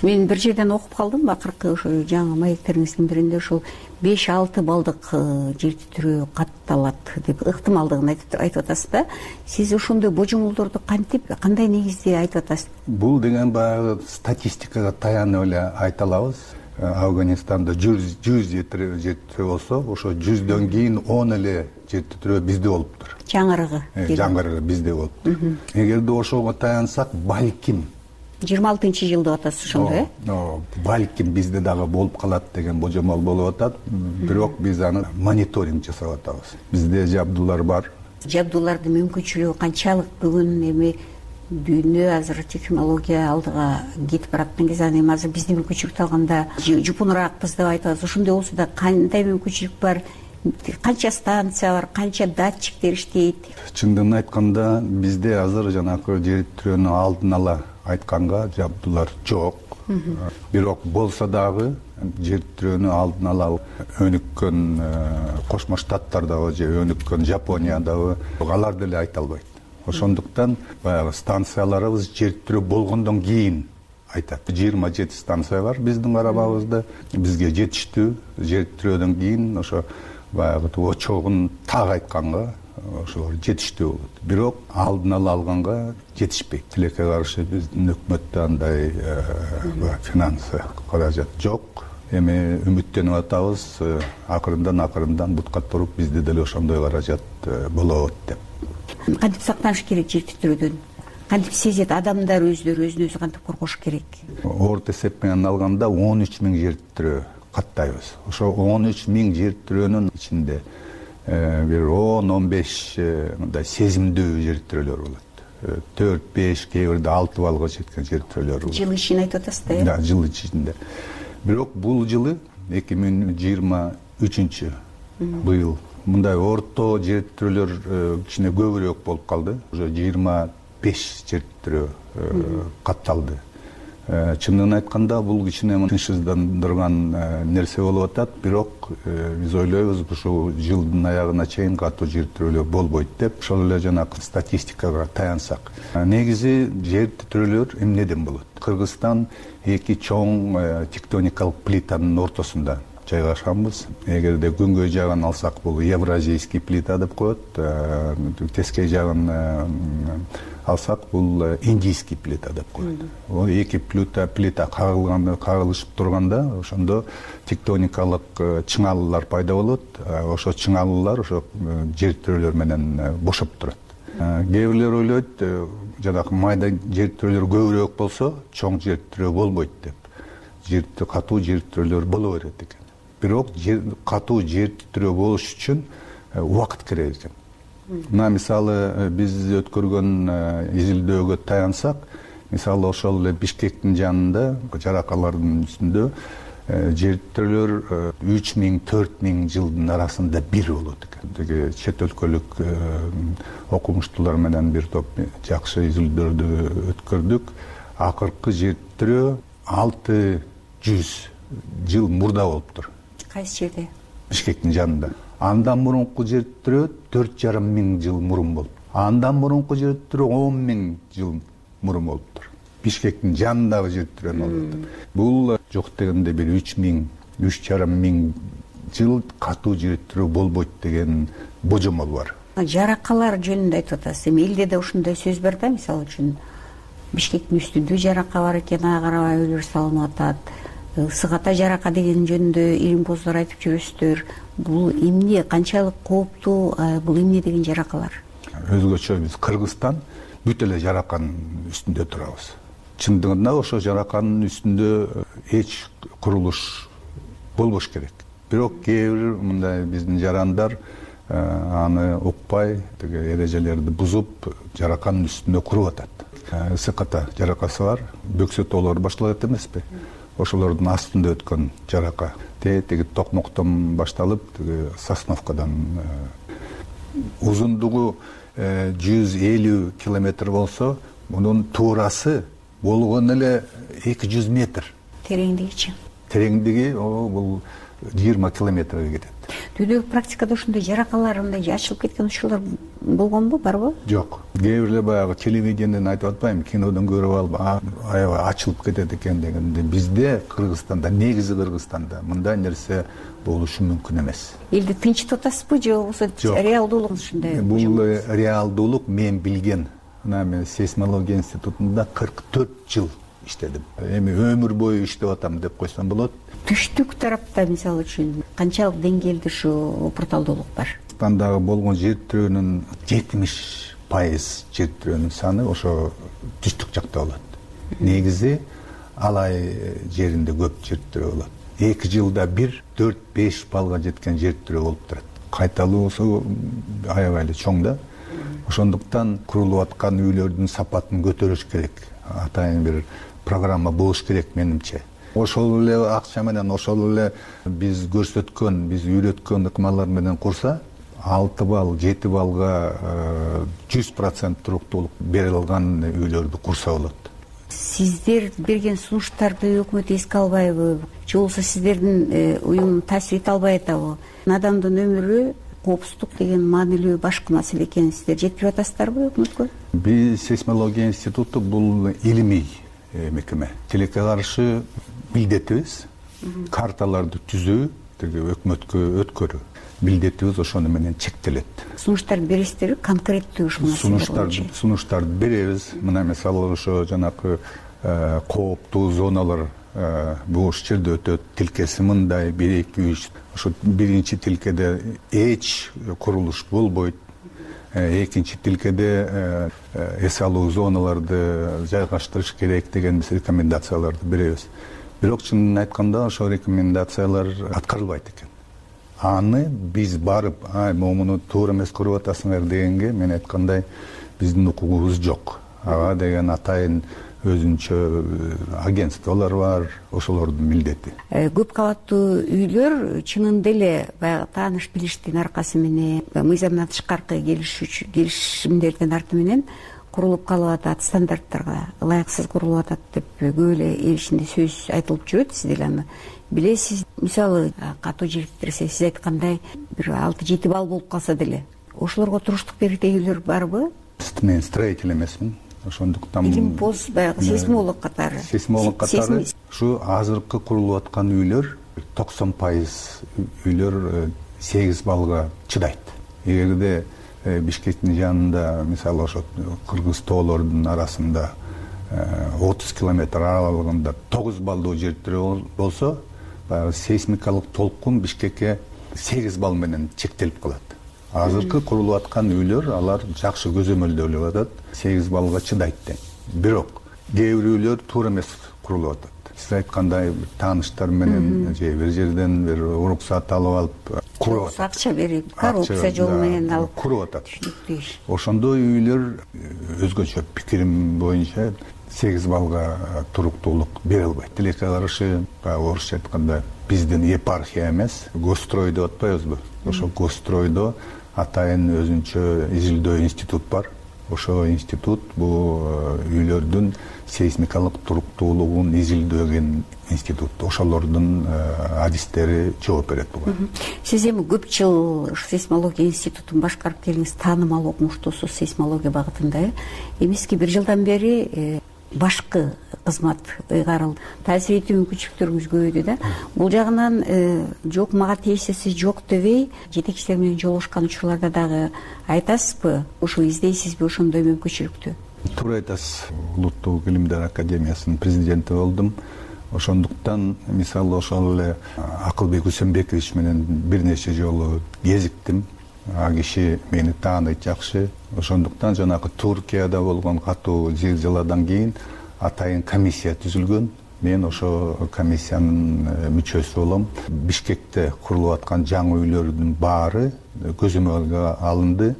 Мен бир жерден окуп калдым, акыркы ошо жаңы маектериңиздин биринде ушул 5-6 балдык жер титирөө катталат деп ыктымалдыгын айтып атасыз да. Сиз ошондой божомолдорду кантип, кандай негизде айтып атасыз? Бул деген баягы статистикага таянып эле айта алабыз. Афганистанда 100 жер титирөө болсо, ошо 100дөн кийин 10 эле жер титирөө бизде болуптур. Жаңгырыгы бизде болуптур. Эгерде ошого таянсак, балким 26-жылды атасыз ошондой, балким бизде дагы болуп калат деген божомол болуп атат. Бирок биз аны мониторинг жасап атабыз. Бизде жабдуулар бар. Жабдуулардын мүмкүнчүлүгү канчалык? Бүгүн эми дүйнө азыр технология алдыга кетип бараткан кезде, эми азыр биздин мүмкүнчүлүктү алганда жупунураакпыз деп айтабыз. Ошондой болсо да кандай мүмкүнчүлүк бар? Канча станция бар, канча датчиктер иштейт? Чындыгын айтканда, бизде азыр жанагы жер титирөөнү алдын ала айтканга жабдуулар жок. Бирок болсо дагы жер титирөөнү алдын ала өнүккөн Кошмо Штаттардагы же өнүккөн Жапониядагы алар деле айта албайт. Ошондуктан баягы станцияларыбыз жер титирөө болгондон кийин айтат. 27 станция бар биздин карабагыбызда. Бизге жетиштүү. Жер титирөөдөн кийин ошо баягы очогун так айтканга ошолор жетиштүү болот. Бирок алдын ала алганга жетишпейт. Тилекке каршы биздин өкмөттө андай финансы каражат жок. Эми үмүттөнүп атабыз, акырындан бутка туруп бизде деле ошондой каражат болот деп. Кантип сактаныш керек жер титирөөдөн? Кантип сезет адамдар өздөрү өзүн-өзү кантип коргош керек? Орто эсеп менен алганда 13 000 жер титирөө каттайбыз. Ошо 13 000 жер титирөөнүн ичинде бир 10-15 мындай сезимдүү жер титирөөлөр болот. 4-5, кээ бирде 6 баллга жеткен жер титирөөлөр болот. Жыл ичинде айтып атасыз да, Да, жыл ичинде. Бирок бул жылы 2023 быйыл мындай орто жер титирөөлөр кичине көбүрөөк болуп калды. Уже 25 жер титирөө катталды. Чындыгын айтканда, бул кичине тынчсыздандырган нерсе болуп атат, бирок биз ойлойбуз, ушул жылдын аягына чейин катуу жер титирөөлөр болбойт деп. Ошол эле жанагы статистикага таянсак, негизи жер титирөөлөр эмнеден болот? Кыргызстан эки чоң тектоникалык плитанын ортосунда жайгашканбыз. Эгерде күнгөй жагын алсак, бул евразийский плита деп коет, тескей жагын алсак, бул индийский плита деп коет. Ол эки плита кагылышып турганда, ошондо тектоникалык чыңалуулар пайда болот. Ошо чыңалуулар ошо жер титирөөлөр менен бошоп турат. Кээ бирлер ойлойт, жанагы майда жер титирөөлөр көбүрөөк болсо, чоң жер титирөө болбойт деп. Катуу жер титирөөлөр боло берет экен. Бирок катуу жер титирөө болуш үчүн убакыт керек экен. Мына мисалы биз өткөргөн изилдөөгө таянсак, мисалы ошол эле Бишкектин жанында жаракалардын үстүндө жер титирөөлөр 3000-4000 жылдын арасында бир болот экен. Чет өлкөлүк окумуштуулар менен бир топ жакшы изилдөөлөрдү өткөрдүк. Акыркы жер титирөө 600 жыл мурда болуптур. Кайсы жерде? Бишкектин жанында. Андан мурунку жер титирөө 4500 жыл мурун болуп. Андан мурунку жер титирөө 10000 жыл мурун болуптур. Бишкектин жанындагы жер титирөөнү алып. Бул жок дегенде бир 3500 жыл катуу жер титирөө болбойт деген божомол бар. Жаракалар жөнүндө айтып атасыз. Эми элде да ушундай сөз бар да, мисалы үчүн Бишкектин үстүндө жарака бар экен, ага карабай үйлөр салынып атат. Сыгата жарака деген жөнүндө илимпоздор айтып жүрөсүздөр. Бул эмне, канчалык кооптуу, бул эмне деген жаракалар? Өзгөчө биз Кыргызстан бүт эле жараканын үстүндө турабыз. Чындыгында ошо жараканын үстүндө эч курулуш болбош керек. Бирок кээ бир мындай биздин жарандар аны укпай, эрежелерди бузуп, жараканын үстүндө куруп атат. Сыката жаракасы бар, бөксө тоолор башталат эмеспи? Ошолордун астында өткөн жарака. Теги токмоктон башталып, Сосновкадан узундугу 150 километр болсо, мунун туурасы болгону эле 200 метр. Тереңдигичи? Тереңдиги бул 20 километрге кетет. Түйдөгү практикада ушундай жаракалар мындай ачылып кеткен учурлар болгонбу, барбы? Жок. Кээ бирлер баягы телевидениеден айтып атпайбы, кинодон көрүп алып аябай ачылып кетет экен дегенде, бизде Кыргызстанда, негизи Кыргызстанда мындай нерсе болушу мүмкүн эмес. Элди тынчтып атасызбы же болбосо реалдуулук ушундай? Бул реалдуулук. Мен билген, мына мен сейсмология институтунда 44 жыл иштедим. Эми өмүр бою иштеп атам деп койсом болот. Түштүк тарапта мисалы үчүн канчалык деңгээлде ушу опурталдуулук бар? Кыргызстандагы болгон жер тирөөнүн 70% жер тирөөнүн саны ошо түштүк жакта болот. Негизи Алай жеринде көп жер тирөө болот. 2 жылда бир 4-5 балга жеткен жер тирөө болуп турат. Кайталоосу аябай эле чоң да. Ошондуктан курулуп аткан үйлөрдүн сапатын көтөрүш керек. Атайын бир программа болуш керек менимче. Ошол эле акча менен, ошол эле биз көрсөткөн, биз үйрөткөн ыкмалар менен курса, 6 балл, 7 балга 100% туруктуулук бере алган үйлөрдү курса болот. Сиздер берген сунуштарды өкмөт эске албайбы? Же болбосо сиздердин уюм таасир эте албай атабы? Адамдын өмүрү, коопсуздук деген маанилүү башкы маселе экенин сиздер жеткирип атасыздарбы өкмөткө? Биз сейсмология институту бул илимий мекеме. Тилекке каршы милдетибиз карталарды түзүү, өкмөткө өткөрүү. Милдетибиз ошону менен чектелет. Сунуштарды бересиздерби? Конкреттүү ушул маселе. Сунуштарды беребиз. Мына мисалы ошо жанакы кооптуу зоналар бул жерде өтөт. Тилкеси мындай 1-2-3. Ошо биринчи тилкеде эч курулуш болбойт. Экинчи тилкеде эс алуу зоналарды жайгаштырыш керек деген биз рекомендацияларды беребиз. Бирок чынын айтканда ошо рекомендациялар аткарылбайт экен. Аны биз барып, муну туура эмес көрүп атасыңар дегенге мен айткандай биздин укугубуз жок. Ага деген атайын өзүнчө агентстволор бар, ошолордун милдети. Көп кабаттуу үйлөр чынында эле баягы тааныш билиштин аркасы менен, мыйзамдан тышкаркы келишимдердин арты менен курулуп калып атат, стандарттарга ылайыксыз курулуп атат деп көп эле эл ичинде сөз айтылып жүрөт. Сиз деле аны билесиз. Мисалы катуу жириктирсе, сиз айткандай бир 6-7 балл болуп калса деле, ошолорго туруштук берген үйлөр барбы? Мен строитель эмесмин. Ошондуктан илимпоз баягы сейсмолог катары. Сейсмолог катары ушу азыркы курулуп аткан үйлөр 90% үйлөр 8 баллга чыдайт. Эгерде Бишкектин жанында, мисалы ошо кыргыз тоолордун арасында 30 километр аралыгында 9 баллдуу жер тирөө болсо, баягы сейсмикалык толкун Бишкекке 8 балл менен чектелип калат. Азыркы курулуп аткан үйлөр алар жакшы көзөмөлдөлүп атат, 8 баллга чыдайт деп. Бирок кээ бир үйлөр туура эмес курулуп атат. Сиз айткандай тааныштар менен же бир жерден бир уруксат алып алып куруп атат. Акча берип, коррупция жолу менен алып куруп атат. Ошондой үйлөр өзгөчө пикирим боюнча 8 баллга туруктуулук бере албайт. Тилекке каршы, орусча айтканда, биздин епархия эмес, госстрой деп атпайбызбы? Ошо госстройдо атайын өзүнчө изилдөө институт бар. Ошо институт бул үйлөрдүн сейсмикалык туруктуулугун изилдеген институт. Ошолордун адистери жооп берет буга. Сиз эми көп жыл сейсмология институтун башкарып келдиңиз, таанымал окумуштуусуз сейсмология багытында. Эмески бир жылдан бери башкы кызмат ыйгарылды. Таасир этүү мүмкүнчүлүктөрүңүз көбөйдү да. Бул жагынан жок мага тиешеси жок дебей, жетекчилер менен жолугушкан учурларда дагы айтасызбы? Ошо издейсизби ошондой мүмкүнчүлүктү? Туура айтасыз. Улуттук илимдер академиясынын президенти болдум. Ошондуктан мисалы ошол эле Акылбек Үсөнбекович менен бир нече жолу кезиктим. А киши мени тааныйт жакшы. Ошондуктан жанагы Туркияда болгон катуу зилзаладан кийин атайын комиссия түзүлгөн. Мен ошо комиссиянын мүчөсү болом. Бишкекте курулуп аткан жаңы үйлөрдүн баары көзөмөлгө алынды.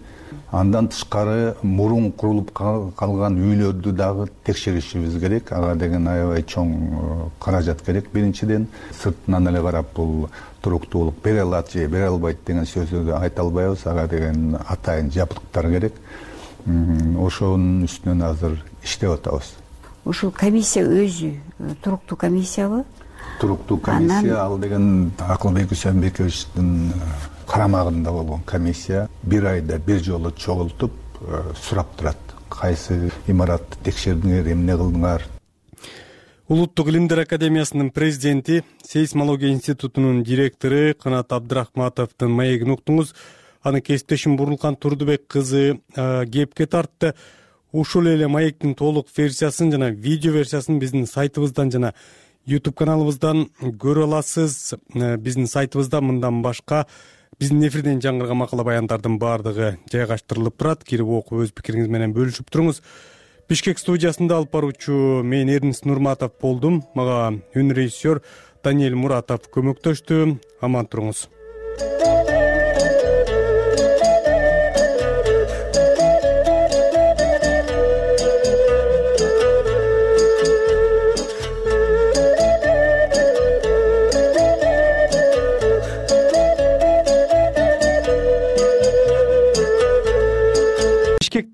Андан тышкары мурун курулуп калган үйлөрдү дагы текшеришибиз керек. Ага деген аябай чоң каражат керек. Биринчиден, сыртынан эле карап бул туруктуулук бере алат же бере албайт деген сөздү айта албайбыз. Ага деген атайын жабдыктар керек. Ошонун үстүнөн азыр иштеп атабыз. Ушул комиссия өзү туруктуу комиссиябы? туруктуу комиссия ал деген Акылбек Үсөнбековичтин карамагында болгон комиссия бир айда бир жолу чогултуп сурап турат. Кайсы имаратты текшердиңер, эмне кылдыңар? Улуттук илимдер академиясынын президенти, сейсмология институтунун директору Канат Абдрахматовдун маегин уктуңуз. Аны кесиптешим Бурурлкан Турдубек кызы кепке тартты. Ушул эле маектин толук версиясын жана видео версиясын биздин сайтыбыздан жана YouTube каналыбыздан көрө аласыз. Биздин сайтыбызда мындан башка биздин эфирден жаңырган макала баяндардын баардыгы жайгаштырылып турат. Кирип окуп өз пикириңиз менен бөлүшүп туруңуз. Бишкек студиясында алып баруучу мен Эрнис Нурматов болдум. Мага үн режиссер Даниэль Муратов көмөктөштү. Аман туруңуз.